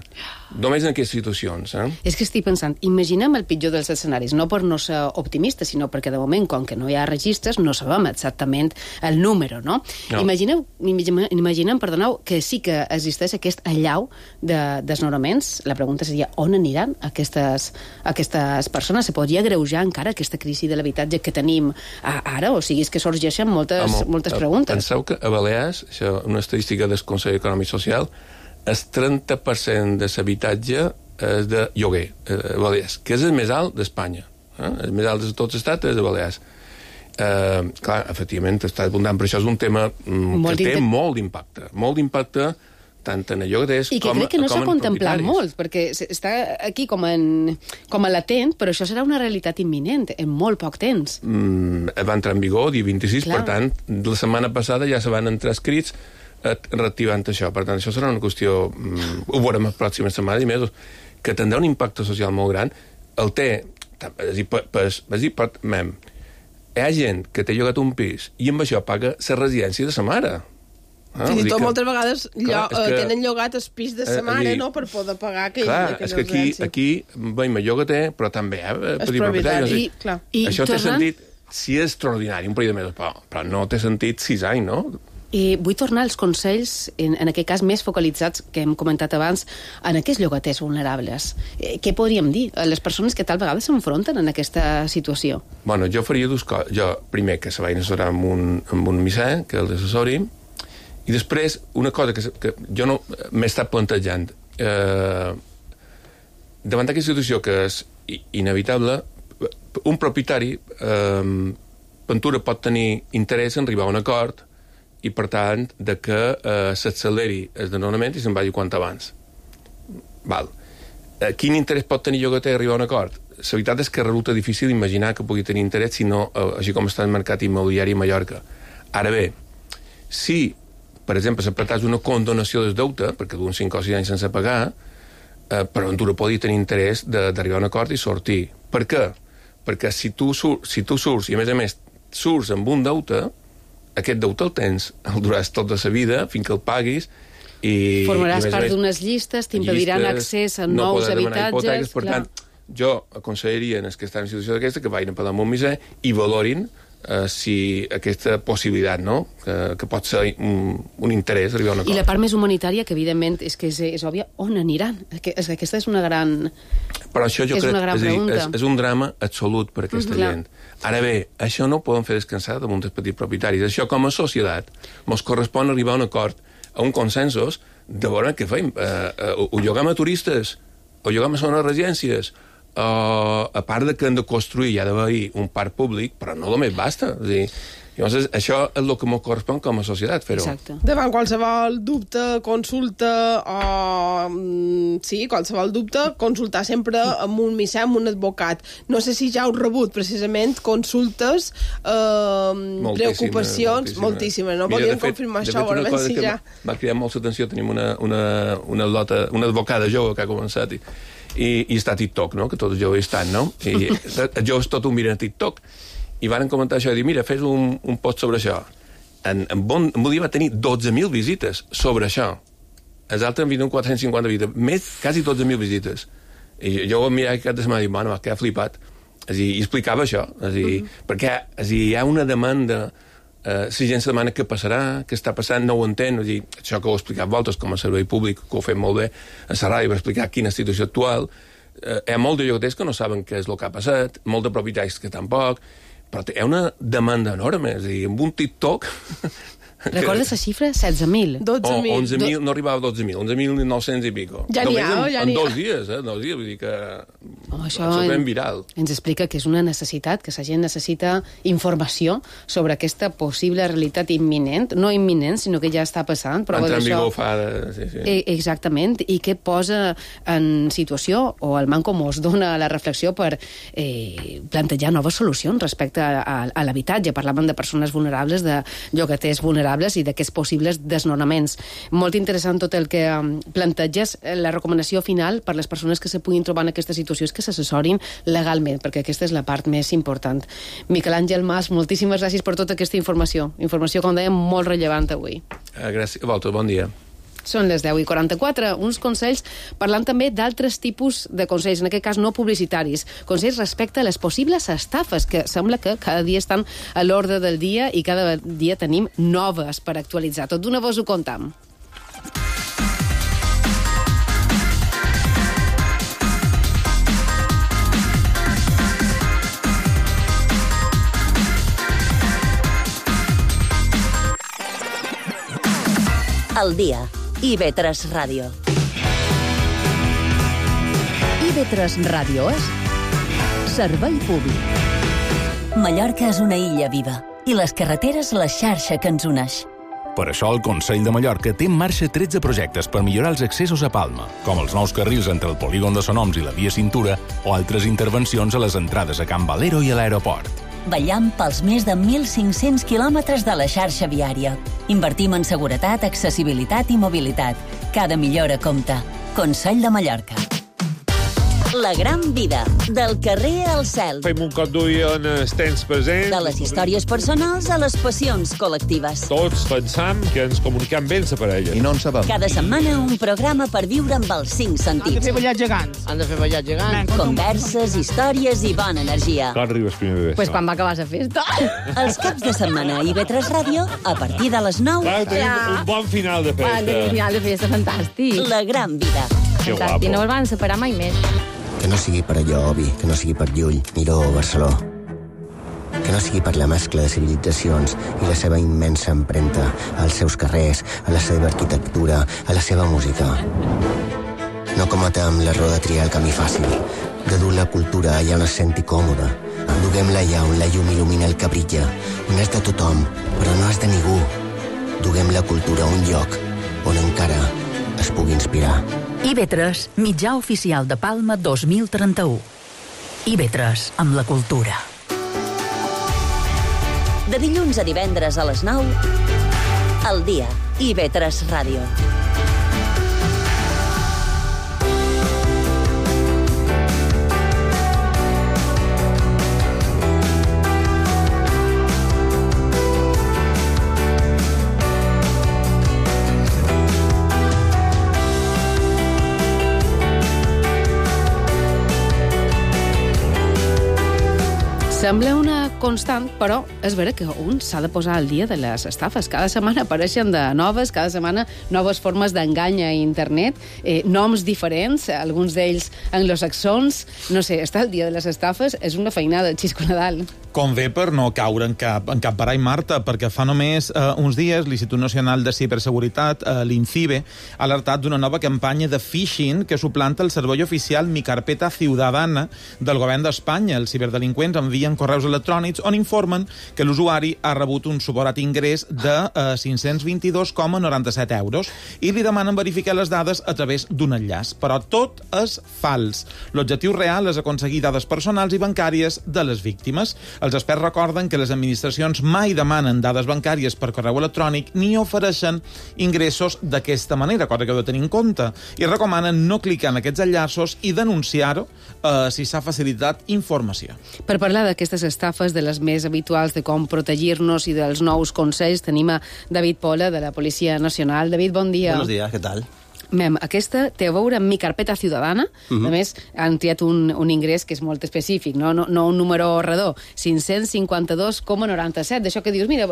Només en aquestes situacions. Eh? És que estic pensant, imaginem el pitjor dels escenaris, no per no ser optimista, sinó perquè de moment, com que no hi ha registres, no sabem exactament el número, no? no. Imagineu, imaginem, imaginem, perdoneu, que sí que existeix aquest allau de desnonaments. La pregunta seria, on aniran aquestes, aquestes persones? Se podria greujar encara aquesta crisi de l'habitatge que tenim ara? O sigui, és que sorgeixen moltes, Amo, moltes preguntes. Penseu que a Balears, això, una estadística del Consell Econòmic Social, el trenta per cent de l'habitatge és de lloguer a Balears, que és el més alt d'Espanya. Eh? El més alt de tots els estats és de Balears. Eh, clar, efectivament, està abundant, però això és un tema mm, que té molt d'impacte. Molt d'impacte tant en el llogaters com, com en propietaris. I que crec que no s'ha contemplat molt, perquè està aquí com, en, com a latent, però això serà una realitat imminent en molt poc temps. Mm, va entrar en vigor dia vint-i-sis, clar. Per tant, la setmana passada ja se van entrar escrits reactivant això. Per tant, això serà una qüestió, mm, ho veurem les pròximes setmanes i mesos, que tindrà un impacte social molt gran. El té, és dir, per, per, és dir, per, mem, hi ha gent que té llogat un pis i amb això paga la residència de sa mare. Ah, Fins i tot moltes vegades clar, llo, que, tenen llogat el pis de sa mare, dir, no?, per poder pagar aquell, clar, aquella és que aquí, aquí veiem el llogater, però també eh, petit propietari. I, clar. I això té sentit, si és extraordinari, un període de mesos, però, però no té sentit sis anys, no? I vull tornar als consells, en, en aquest cas més focalitzats, que hem comentat abans, en aquests llogaters vulnerables. Eh, què podríem dir a les persones que tal vegada s'enfronten en aquesta situació? Bueno, jo faria dues coses. Jo, primer, que se vagin a assessorar amb un, amb un misser, que els assessori, i després, una cosa que, que jo no m'he estat plantejant. Eh, davant d'aquesta situació que és inevitable, un propietari, eh, Ventura pot tenir interès en arribar a un acord i, per tant, de que eh, s'acceleri el desnonament i se'n vagi quant abans. Val. Eh, quin interès pot tenir llogater arribar a un acord? La veritat és que resulta difícil imaginar que pugui tenir interès, si no, eh, així com està el mercat immobiliari a Mallorca. Ara bé, si, per exemple, s'apretàs una condonació del deute, perquè d'un cinc o sis anys sense pagar, eh, per Ventura podria tenir interès d'arribar a un acord i sortir. Per què? Perquè si tu, sur, si tu surts, i a més a més surts amb un deute, aquest deute el tens, el duràs tota la vida, fins que el paguis, i... Formaràs i part d'unes llistes, t'impediran accés a no nous habitatges... Hipotèques, per tant, jo aconsellaria en els que estan en situació d'aquesta que vagin a parlar amb un misser i valorin eh, si aquesta possibilitat, no?, que, que pot ser un, un interès arribar a una cosa. I la part més humanitària, que evidentment és que és, és òbvia, on aniran? És, aquesta és una gran... Però això jo és crec una gran és, dir, és, pregunta. és un drama absolut per a aquesta Mm, clar. gent. Ara bé, això no ho podem fer descansar damunt dels petits propietaris. Això, com a societat, ens correspon arribar a un acord, a un consensos, de veure què fem. Eh, eh, ho lloguem a turistes, o lloguem a zones residències, eh, a part de que hem de construir, hi ha d'haver un parc públic, però no només basta. És dir, llavors, això és el que ens correspon com a societat, fer-ho. Davant qualsevol dubte, consulta o mm, sí, qualsevol dubte, consultar sempre amb un missatge, amb un advocat. No sé si ja heu rebut, precisament, consultes, eh, preocupacions, moltíssimes. No volíem confirmar això, veurem si ja... M'ha cridat molt l'atenció, tenim una, una, una, lota, una advocada jove que ha començat i, i, i està a TikTok, no?, que tots els joves estan, no? I els joves tot ho miren a TikTok. I van comentar això i dir, mira, fes un, un post sobre això. En, en, bon, en un dia va tenir dotze mil visites sobre això. Els altres han vingut quatre-cents cinquanta visites, més, quasi dotze mil visites. I jo ho mirava cada setmana i dic, bueno, que ha flipat. És dir, i explicava això. És dir, mm -hmm. perquè és dir, hi ha una demanda, eh, si gent se demana què passarà, què està passant, no ho entén. És dir, això que ho he explicat vosaltres com a servei públic, que ho fem molt bé, a la ràdio, per explicar quina situació actual. Eh, hi ha molts de llogaters que no saben què és el que ha passat, molts de propietaris que tampoc, però hi ha una demanda enorme, és a dir, amb un TikTok... Recordes la xifra? setze mil. dotze mil. Oh, onze mil, no arribava a dotze mil, onze mil nou-cents i pico. Ja n'hi ha, ja n'hi ha. En dos dies, eh? Dos dies, vull dir que... Oh, això és ben viral. Ens explica que és una necessitat, que la gent necessita informació sobre aquesta possible realitat imminent, no imminent, sinó que ja està passant. Entra en vigor fa... Sí, sí. Exactament, i que posa en situació, o el manco mos dona la reflexió per eh, plantejar noves solucions respecte a, a, a l'habitatge. Parlàvem de persones vulnerables, de llogaters vulnerables, i d'aquests possibles desnonaments. Molt interessant tot el que planteges. La recomanació final per les persones que se puguin trobar en aquesta situació és que s'assessorin legalment, perquè aquesta és la part més important. Miquel Àngel Mas, moltíssimes gràcies per tota aquesta informació. Informació, com dèiem, molt rellevant avui. Gràcies. Volta, bon dia. Són les deu i quaranta-quatre. Uns consells parlant també d'altres tipus de consells, en aquest cas no publicitaris. Consells respecte a les possibles estafes, que sembla que cada dia estan a l'ordre del dia i cada dia tenim noves per actualitzar. Tot d'una vos ho contam. El dia. I ve tres Ràdio. I ve tres Ràdio és servei públic. Mallorca és una illa viva i les carreteres la xarxa que ens uneix. Per això el Consell de Mallorca té en marxa tretze projectes per millorar els accessos a Palma, com els nous carrils entre el polígon de Sonoms i la via Cintura o altres intervencions a les entrades a Can Valero i a l'aeroport. Vetllam pels més de mil cinc-cents quilòmetres de la xarxa viària. Invertim en seguretat, accessibilitat i mobilitat. Cada millora compta. Consell de Mallorca. La gran vida, del carrer al cel. Fem un cop d'ull en els temps presents. De les històries personals a les passions col·lectives. Tots pensam que ens comuniquem bé amb la parella. I no en sabem. Cada setmana un programa per viure amb els cinc sentits. Han de fer ballar gegants. Han de fer ballar gegants. Converses, històries i bona energia. Quan arribes primer bebè? Pues quan va acabar la festa. Els caps de setmana a I V tres Ràdio, a partir de les nou. Clar, tenim ja. un bon final de festa. Tenim un final de festa fantàstic. La gran vida. Que guapo. I no el van separar mai més. Que no sigui per allò, Obi, que no sigui per Llull, Miró o Barceló. Que no sigui per la mescla de civilitzacions i la seva immensa empremta als seus carrers, a la seva arquitectura, a la seva música. No cometa amb l'error de triar el camí fàcil, de dur la cultura allà on es senti còmode. Duguem-la allà on la llum il·lumina el que brilla, on és de tothom, però no és de ningú. Duguem la cultura a un lloc on encara es pugui inspirar. I V tres, mitjà oficial de Palma dos mil trenta-u. I V tres, amb la cultura. De dilluns a divendres a les nou, al dia, I V tres Ràdio. Sembla una constant, però és vera que un s'ha de posar al dia de les estafes. Cada setmana apareixen de noves, cada setmana noves formes d'engany a internet, eh, noms diferents, alguns d'ells anglosaxons. No sé, estar al dia de les estafes és una feinada, Xisco Nadal. convé per no caure en cap, en cap barall, Marta, perquè fa només eh, uns dies l'Institut Nacional de Ciberseguretat, eh, l'INCIBE, ha alertat d'una nova campanya de phishing que suplanta el servei oficial Mi Carpeta Ciudadana del govern d'Espanya. Els ciberdelinqüents envien correus electrònics on informen que l'usuari ha rebut un suposat ingrés de eh, cinc-cents vint-i-dos coma noranta-set euros i li demanen verificar les dades a través d'un enllaç. Però tot és fals. L'objectiu real és aconseguir dades personals i bancàries de les víctimes. Els experts recorden que les administracions mai demanen dades bancàries per correu electrònic ni ofereixen ingressos d'aquesta manera, cosa que heu de tenir en compte, i recomanen no clicar en aquests enllaços i denunciar-ho eh, si s'ha facilitat informació. Per parlar d'aquestes estafes, de les més habituals, de com protegir-nos i dels nous consells, tenim a David Pola, de la Policia Nacional. David, bon dia. Buenos días, ¿qué tal? Mem, aquesta té a veure amb Mi Carpeta Ciudadana. Uh-huh. A més, han triat un, un ingrés que és molt específic, no, no, no un número redó, cinc-cents cinquanta-dos coma noranta-set. D'això que dius, mira,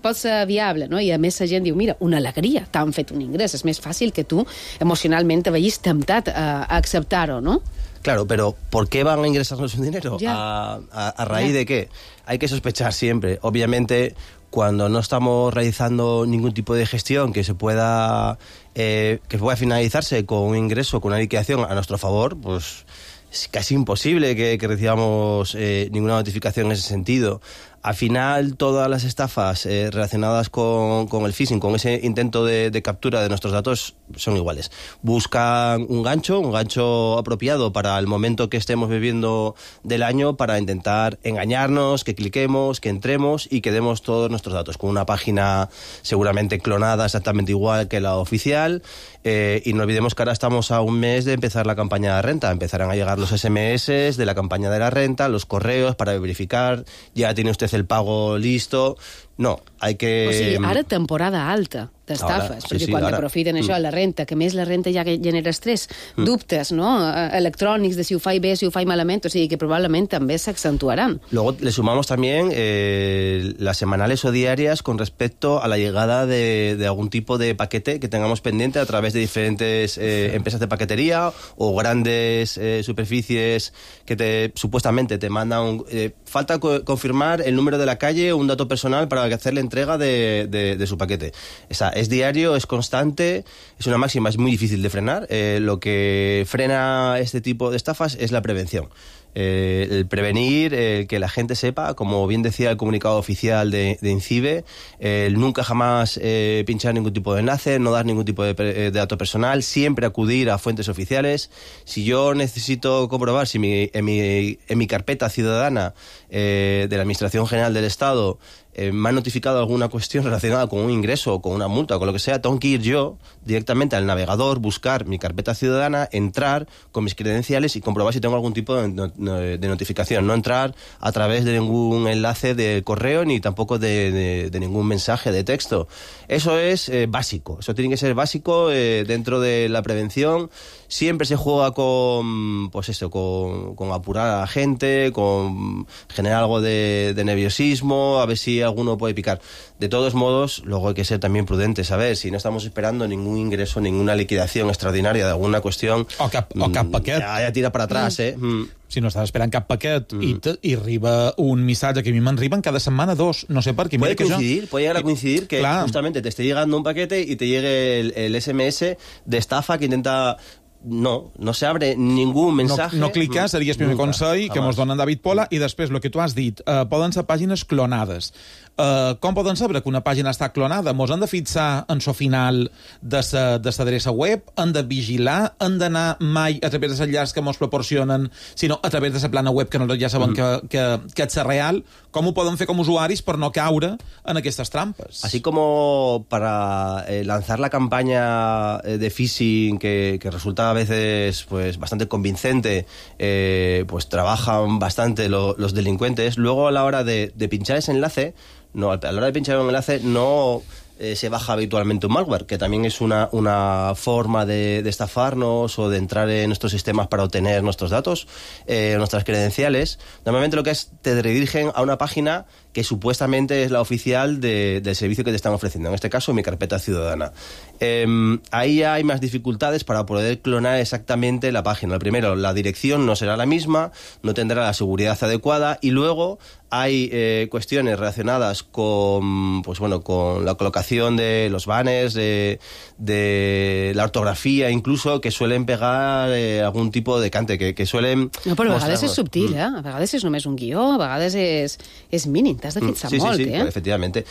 pot ser viable, no? I a més la gent diu, mira, una alegria, t'han fet un ingrés. És més fàcil que tu emocionalment te vegis temptat a, a acceptar-ho, no? Claro, pero ¿por qué van a ingresarnos un dinero? ¿A, a, a raíz ya. de qué? Hay que sospechar siempre. Obviamente, cuando no estamos realizando ningún tipo de gestión que se pueda eh, que pueda finalizarse con un ingreso, con una liquidación a nuestro favor, pues es casi imposible que, que recibamos eh, ninguna notificación en ese sentido. Al final, todas las estafas eh, relacionadas con, con el phishing, con ese intento de, de captura de nuestros datos, son iguales. Buscan un gancho, un gancho apropiado para el momento que estemos viviendo del año para intentar engañarnos, que cliquemos, que entremos y que demos todos nuestros datos, con una página seguramente clonada exactamente igual que la oficial. Eh, y no olvidemos que ahora estamos a un mes de empezar la campaña de renta. Empezarán a llegar los ese eme ese de la campaña de la renta, los correos para verificar, ya tiene usted el pago listo. No, hay que... O sigui, ara temporada alta d'estafes, sí, perquè sí, quan ara... aprofiten això, mm. la renta, que més la renta ja genera estrès, mm. dubtes, no?, electrònics de si ho faig bé, si ho faig malament, o sigui que probablement també s'accentuaran. Luego le sumamos también eh, las semanales o diarias con respecto a la llegada de, de algún tipo de paquete que tengamos pendiente a través de diferentes eh, empresas de paquetería o grandes eh, superficies que te supuestamente te mandan... Eh, falta co confirmar el número de la calle o un dato personal para hacer la entrega de, de, de su paquete. O sea, es diario, es constante, es una máxima, es muy difícil de frenar. Eh, lo que frena este tipo de estafas es la prevención. Eh, el prevenir, el que la gente sepa, como bien decía el comunicado oficial de, de INCIBE, eh, el nunca jamás eh, pinchar ningún tipo de enlace, no dar ningún tipo de, de dato personal, siempre acudir a fuentes oficiales. Si yo necesito comprobar si mi, en, mi, en mi carpeta ciudadana eh, de la Administración General del Estado eh, me han notificado alguna cuestión relacionada con un ingreso o con una multa o con lo que sea, tengo que ir yo directamente al navegador, buscar mi carpeta ciudadana, entrar con mis credenciales y comprobar si tengo algún tipo de, de notificación. No entrar a través de ningún enlace de correo ni tampoco de, de, de ningún mensaje de texto. Eso es eh, básico, eso tiene que ser básico eh, dentro de la prevención. Siempre se juega con, pues eso, con, con apurar a la gente, con generar algo de, de nerviosismo, a ver si alguno puede picar. De todos modos, luego hay que ser también prudentes, a ver, si no estamos esperando ningún ingreso, ninguna liquidación extraordinaria de alguna cuestión... O cap, o cap paquet. Ja, ja tira para atrás, eh? Mm. Si no estàs esperant cap paquet mm. i, te, i arriba un missatge que a mi m'arriben cada setmana dos, no sé per què. Puede coincidir, jo... puede llegar a coincidir que Clar. justamente te esté llegando un paquete y te llegue el, el ese eme ese de estafa que intenta... No, no se abre ningún mensaje. No, no clicar, seria el primer Nunca, consell que jamás. mos donen David Pola, i després, el que tu has dit, eh, poden ser pàgines clonades. Eh, com poden saber que una pàgina està clonada? Mos han de fixar en so final de sa, de sa adreça web, han de vigilar, han d'anar mai a través de l'enllaç que mos proporcionen, sinó a través de la plana web que nosaltres ja sabem mm. que, que, que és real. Com ho poden fer com usuaris per no caure en aquestes trampes? Así como para eh, lanzar la campaña de phishing que, que resulta a veces pues bastante convincente, eh, pues trabajan bastante lo, los delincuentes. Luego a la hora de, de pinchar ese enlace, no, a la hora de pinchar un enlace no eh, se baja habitualmente un malware, que también es una, una forma de, de estafarnos o de entrar en nuestros sistemas para obtener nuestros datos, eh, nuestras credenciales. Normalmente lo que es, te redirigen a una página que que supuestamente es la oficial de, del servicio que te están ofreciendo, en este caso Mi Carpeta Ciudadana. Eh, ahí hay más dificultades para poder clonar exactamente la página. Lo primero, la dirección no será la misma, no tendrá la seguridad adecuada, y luego hay eh, cuestiones relacionadas con, pues bueno, con la colocación de los banners, de, de la ortografía incluso, que suelen pegar eh, algun tipus de cante, que, que suelen... No, però a vegades és subtil, eh? A vegades és només un guió, a vegades és, és mínim, t'has de fixar sí, molt, sí, sí, eh? efectivamente.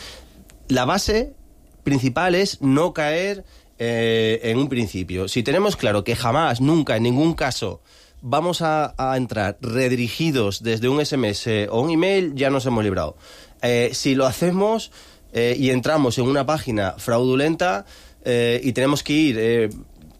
La base principal es no caer eh, en un principio. Si tenemos claro que jamás, nunca, en ningún caso vamos a, a entrar redirigidos desde un S M S o un email, ya nos hemos librado. Eh, si lo hacemos eh, y entramos en una página fraudulenta eh, y tenemos que ir eh,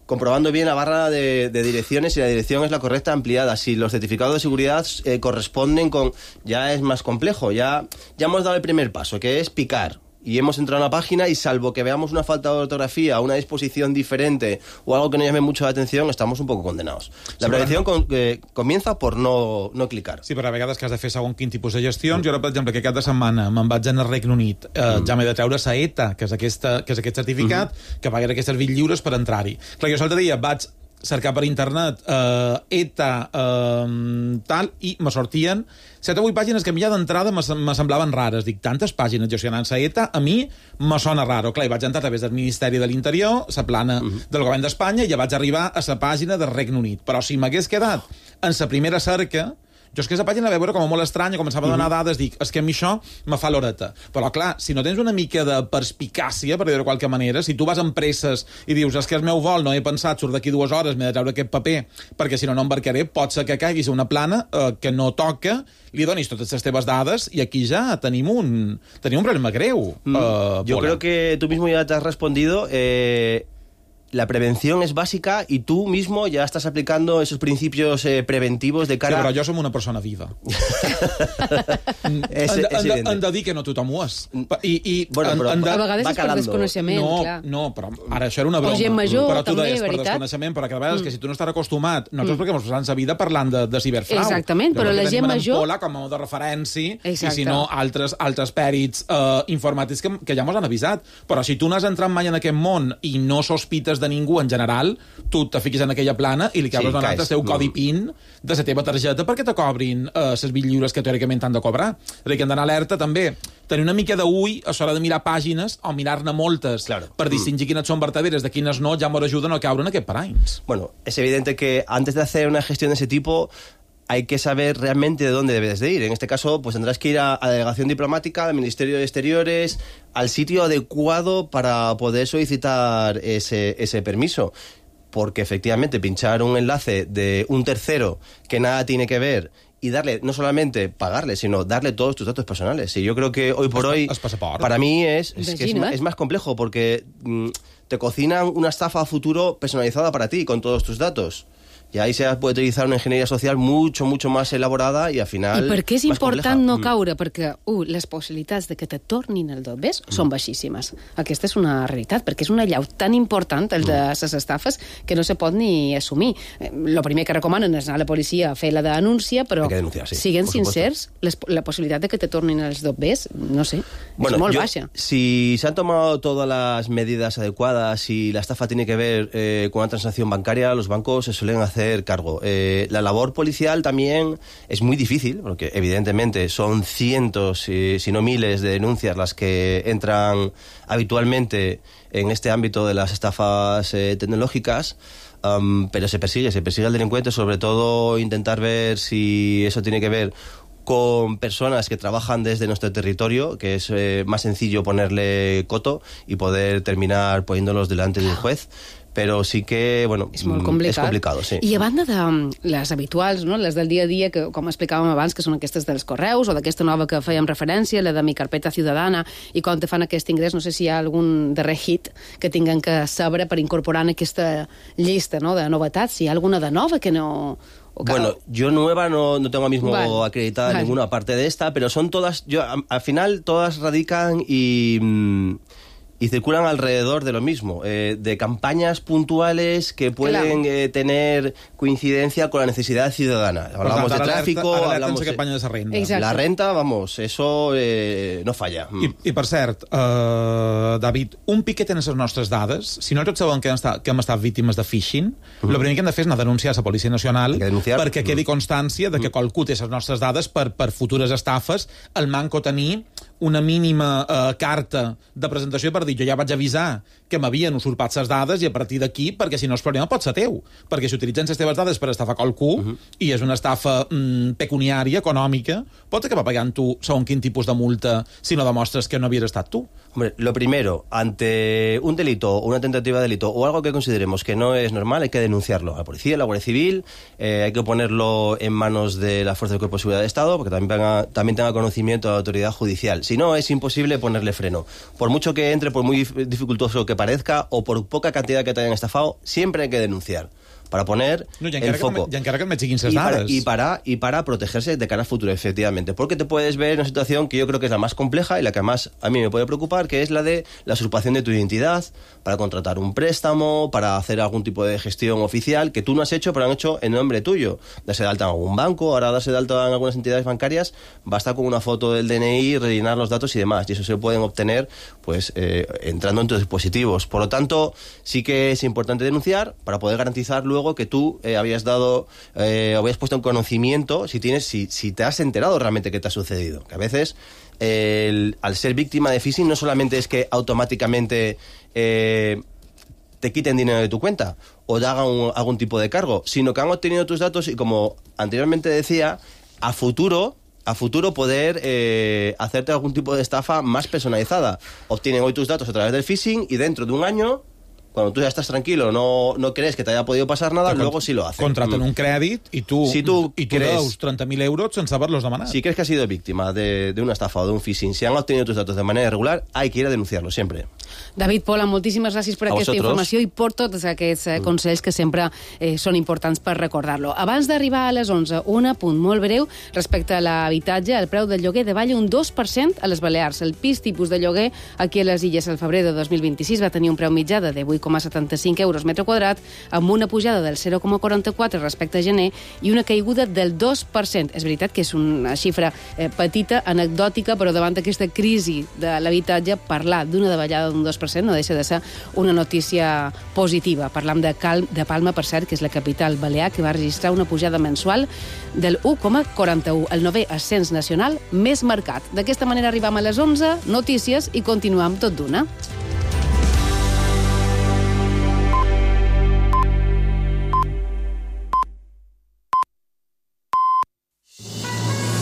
comprobando bien la barra de, de direcciones, si la dirección es la correcta ampliada, si los certificados de seguridad eh, corresponden con... Ya es más complejo, ya, ya hemos dado el primer paso, que es picar. Y hemos entrado a una página y salvo que veamos una falta de ortografía, una disposición diferente o algo que nos llame mucho la atención, estamos un poco condenados. La Sí, prevención però... con, eh, comienza por no, no clicar. Sí, però a vegades que has de fer segon quin tipus de gestions. Jo ara, per exemple, que cada setmana me'n vaig anar al Regne Unit, eh, mm. ja m'he de treure sa E T A, que és, aquesta, que és aquest certificat, mm -hmm. que pagaré aquests servits lliures per entrar-hi. Clar, jo l'altre dia vaig cercar per internet eh, E T A eh, tal, i me sortien set o vuit pàgines que a mi ja d'entrada me, me semblaven rares. Dic, tantes pàgines gestionant-se E T A, a mi me sona raro. Clar, i vaig entrar a través del Ministeri de l'Interior, la plana uh -huh. del Govern d'Espanya, i ja vaig arribar a la pàgina del Regne Unit. Però si m'hagués quedat en la primera cerca, jo és que aquesta pàgina la vaig veure com molt estranya, començava a donar uh -huh. dades, dic, és que a mi això me fa l'horeta. Però clar, si no tens una mica de perspicàcia, per dir-ho de qualque manera, si tu vas amb presses i dius, és que el meu vol no he pensat, surt d'aquí dues hores, m'he de treure aquest paper, perquè si no no embarcaré, pot ser que caiguis a una plana eh, que no toca, li donis totes les teves dades i aquí ja tenim un, tenim un problema greu. Mm. Uh, Yo creo que tú mismo ya te has respondido. Eh... La prevención es bàsica i tu mismo ja estàs aplicando esos principios eh, preventivos de cara... Sí, però jo som una persona viva. és, hem, és hem, de, hem de dir que no tothom ho és. I, i, bueno, però, en, en de... a vegades és per desconeixement, no, clar. No, però ara això era una broma. O gent major, però tu també, deies, veritat. per desconeixement, però cada vegada mm. és que si tu no estàs acostumat, nosaltres mm. perquè ens posem la vida parlant de, de ciberfrau. Exactament, però la gent major... Pola com a de referència, exacte. I si no, altres, altres pèrits uh, informàtics que, que ja mos han avisat. Però si tu no has entrat mai en aquest món i no sospites de ningú en general, tu te fiquis en aquella plana i li acabes sí, donant el teu codi PIN de la teva targeta perquè te cobrin eh, les vint lliures que teòricament t'han de cobrar. És a dir, que han d'anar alerta també. Tenir una mica d'ull a l'hora de mirar pàgines o mirar-ne moltes claro. per distingir mm. quines són verdaderes de quines no, ja m'ho ajuda a no caure en aquest paranys. Bueno, es evidente que antes de hacer una gestión de ese tipo hay que saber realmente de dónde debes de ir. En este caso, pues tendrás que ir a, a la delegación diplomática, al Ministerio de Exteriores, al sitio adecuado para poder solicitar ese, ese permiso. Porque efectivamente pinchar un enlace de un tercero que nada tiene que ver y darle, no solamente pagarle, sino darle todos tus datos personales. Y yo creo que hoy por hoy, para mí es, es, que es, es más complejo porque mmm, te cocinan una estafa a futuro personalizada para ti con todos tus datos. Y ahí se puede utilizar una ingeniería social mucho, mucho más elaborada y al final... I per què és important compleja. no caure? Perquè, uh, les possibilitats de que te tornin el dobbers mm. són baixíssimes. Aquesta és una realitat, perquè és una llau tan important, el de les estafes, que no se pot ni assumir. El primer que recomanen és anar a la policia a fer la denúncia, però denunciar, sí, siguent sincers, les, la possibilitat de que te tornin els dobbers, no sé, bueno, és molt yo, baixa. Si se han tomado todas las medidas adecuadas y la estafa tiene que ver eh, con una transacción bancaria, los bancos se suelen hacer cargo. Eh, la labor policial también es muy difícil, porque evidentemente son cientos, eh, si no miles, de denuncias las que entran habitualmente en este ámbito de las estafas eh, tecnológicas, um, pero se persigue, se persigue al delincuente, sobre todo intentar ver si eso tiene que ver con personas que trabajan desde nuestro territorio, que es eh, más sencillo ponerle coto y poder terminar poniéndolos delante de un juez. Però sí que, bueno, és molt complicat. És complicat, sí. I a banda de les habituals, no? Les del dia a dia, que com explicàvem abans, que són aquestes dels correus, o d'aquesta nova que fèiem referència, la de Mi Carpeta Ciudadana, i quan te fan aquest ingrés, no sé si hi ha algun darrer hit que tinguen que saber per incorporar en aquesta llista, no?, de novetats, si hi ha alguna de nova que no... Bueno, yo nueva no, no tengo ahora mismo vale. acreditada vale. ninguna parte de esta, pero son todas, yo al final todas radican y... Mmm, y circulan alrededor de lo mismo, eh, de campañas puntuales que pueden claro. eh, tener coincidencia con la necesidad ciudadana. Hablamos de tráfico, alerta, hablamos de... campanya de renda. La renta, vamos, eso eh, no falla. I, I per cert, uh, David, un piquet en les nostres dades, si no tots saben que hem estat, que hem estat víctimes de phishing, el mm. primer que hem de fer és anar a denunciar a la Policia Nacional perquè quedi constància de que mm. qualcú té les nostres dades per, per futures estafes, el manco tenir una mínima eh, carta de presentació per dir jo ja vaig avisar que m'havien usurpat les dades i a partir d'aquí, perquè si no el problema pot ser teu, perquè si utilitzen les teves dades per estafar qualcú uh -huh. i és una estafa mm, pecuniària, econòmica, pots acabar pagant tu segons quin tipus de multa si no demostres que no havies estat tu. Hombre, lo primero, ante un delito o una tentativa de delito o algo que consideremos que no es normal, hay que denunciarlo a la policía, a la Guardia Civil, eh, hay que ponerlo en manos de la Fuerza del Cuerpo de Seguridad de Estado, porque también tenga, también tenga conocimiento de la autoridad judicial. Si no, es imposible ponerle freno. Por mucho que entre, por muy dificultoso que parezca, o por poca cantidad que te hayan estafado, siempre hay que denunciar. Para poner no, el foco. Y encara que me siguin ses y para, dades. Y para, y para protegerse de cara al futuro, efectivamente. Porque te puedes ver en una situación que yo creo que es la más compleja y la que más a mí me puede preocupar, que es la de la usurpación de tu identidad para contratar un préstamo, para hacer algún tipo de gestión oficial que tú no has hecho, pero han hecho en nombre tuyo. Darse de alta en algún banco, ahora darse de alta en algunas entidades bancarias, basta con una foto del D N I, rellenar los datos y demás. Y eso se pueden obtener pues eh, entrando en tus dispositivos. Por lo tanto, sí que es importante denunciar para poder garantizar luego que tú eh, habías dado, eh, habías puesto en conocimiento si tienes, si, si te has enterado realmente qué te ha sucedido. Que a veces, eh, el, al ser víctima de phishing, no solamente es que automáticamente eh, te quiten dinero de tu cuenta o te hagan un, algún tipo de cargo, sino que han obtenido tus datos y, como anteriormente decía, a futuro... a futuro poder eh, hacerte algún tipo de estafa más personalizada. Obtienen hoy tus datos a través del phishing y dentro de un año, cuando tú ya estás tranquilo, no, no crees que te haya podido pasar nada, pero luego sí lo hacen. Contraten mm. un crèdit i tu, si tu i tu crees, deus treinta mil euros sense haver-los demanat. Si crees que has sido víctima de, de una estafa o de un phishing, si han obtenido tus datos de manera irregular, hay que ir a denunciarlo siempre. David Pola, moltíssimes gràcies per a aquesta vosotros. informació i per tots aquests eh, consells que sempre eh, són importants per recordar-lo. Abans d'arribar a les onze, un apunt molt breu respecte a l'habitatge. El preu del lloguer davalla un dos per cent a les Balears. El pis tipus de lloguer aquí a les Illes al febrer de dos mil vint-i-sis va tenir un preu mitjà de divuit coma setanta-cinc euros metre quadrat, amb una pujada del zero coma quaranta-quatre respecte a gener i una caiguda del dos per cent. És veritat que és una xifra eh, petita, anecdòtica, però davant d'aquesta crisi de l'habitatge, parlar d'una davallada d'un dos per cent no deixa de ser una notícia positiva. Parlam de, Cal de Palma, per cert, que és la capital balear, que va registrar una pujada mensual del u coma quaranta-u, el novè ascens nacional més marcat. D'aquesta manera arribam a les onze, notícies, i continuam tot d'una.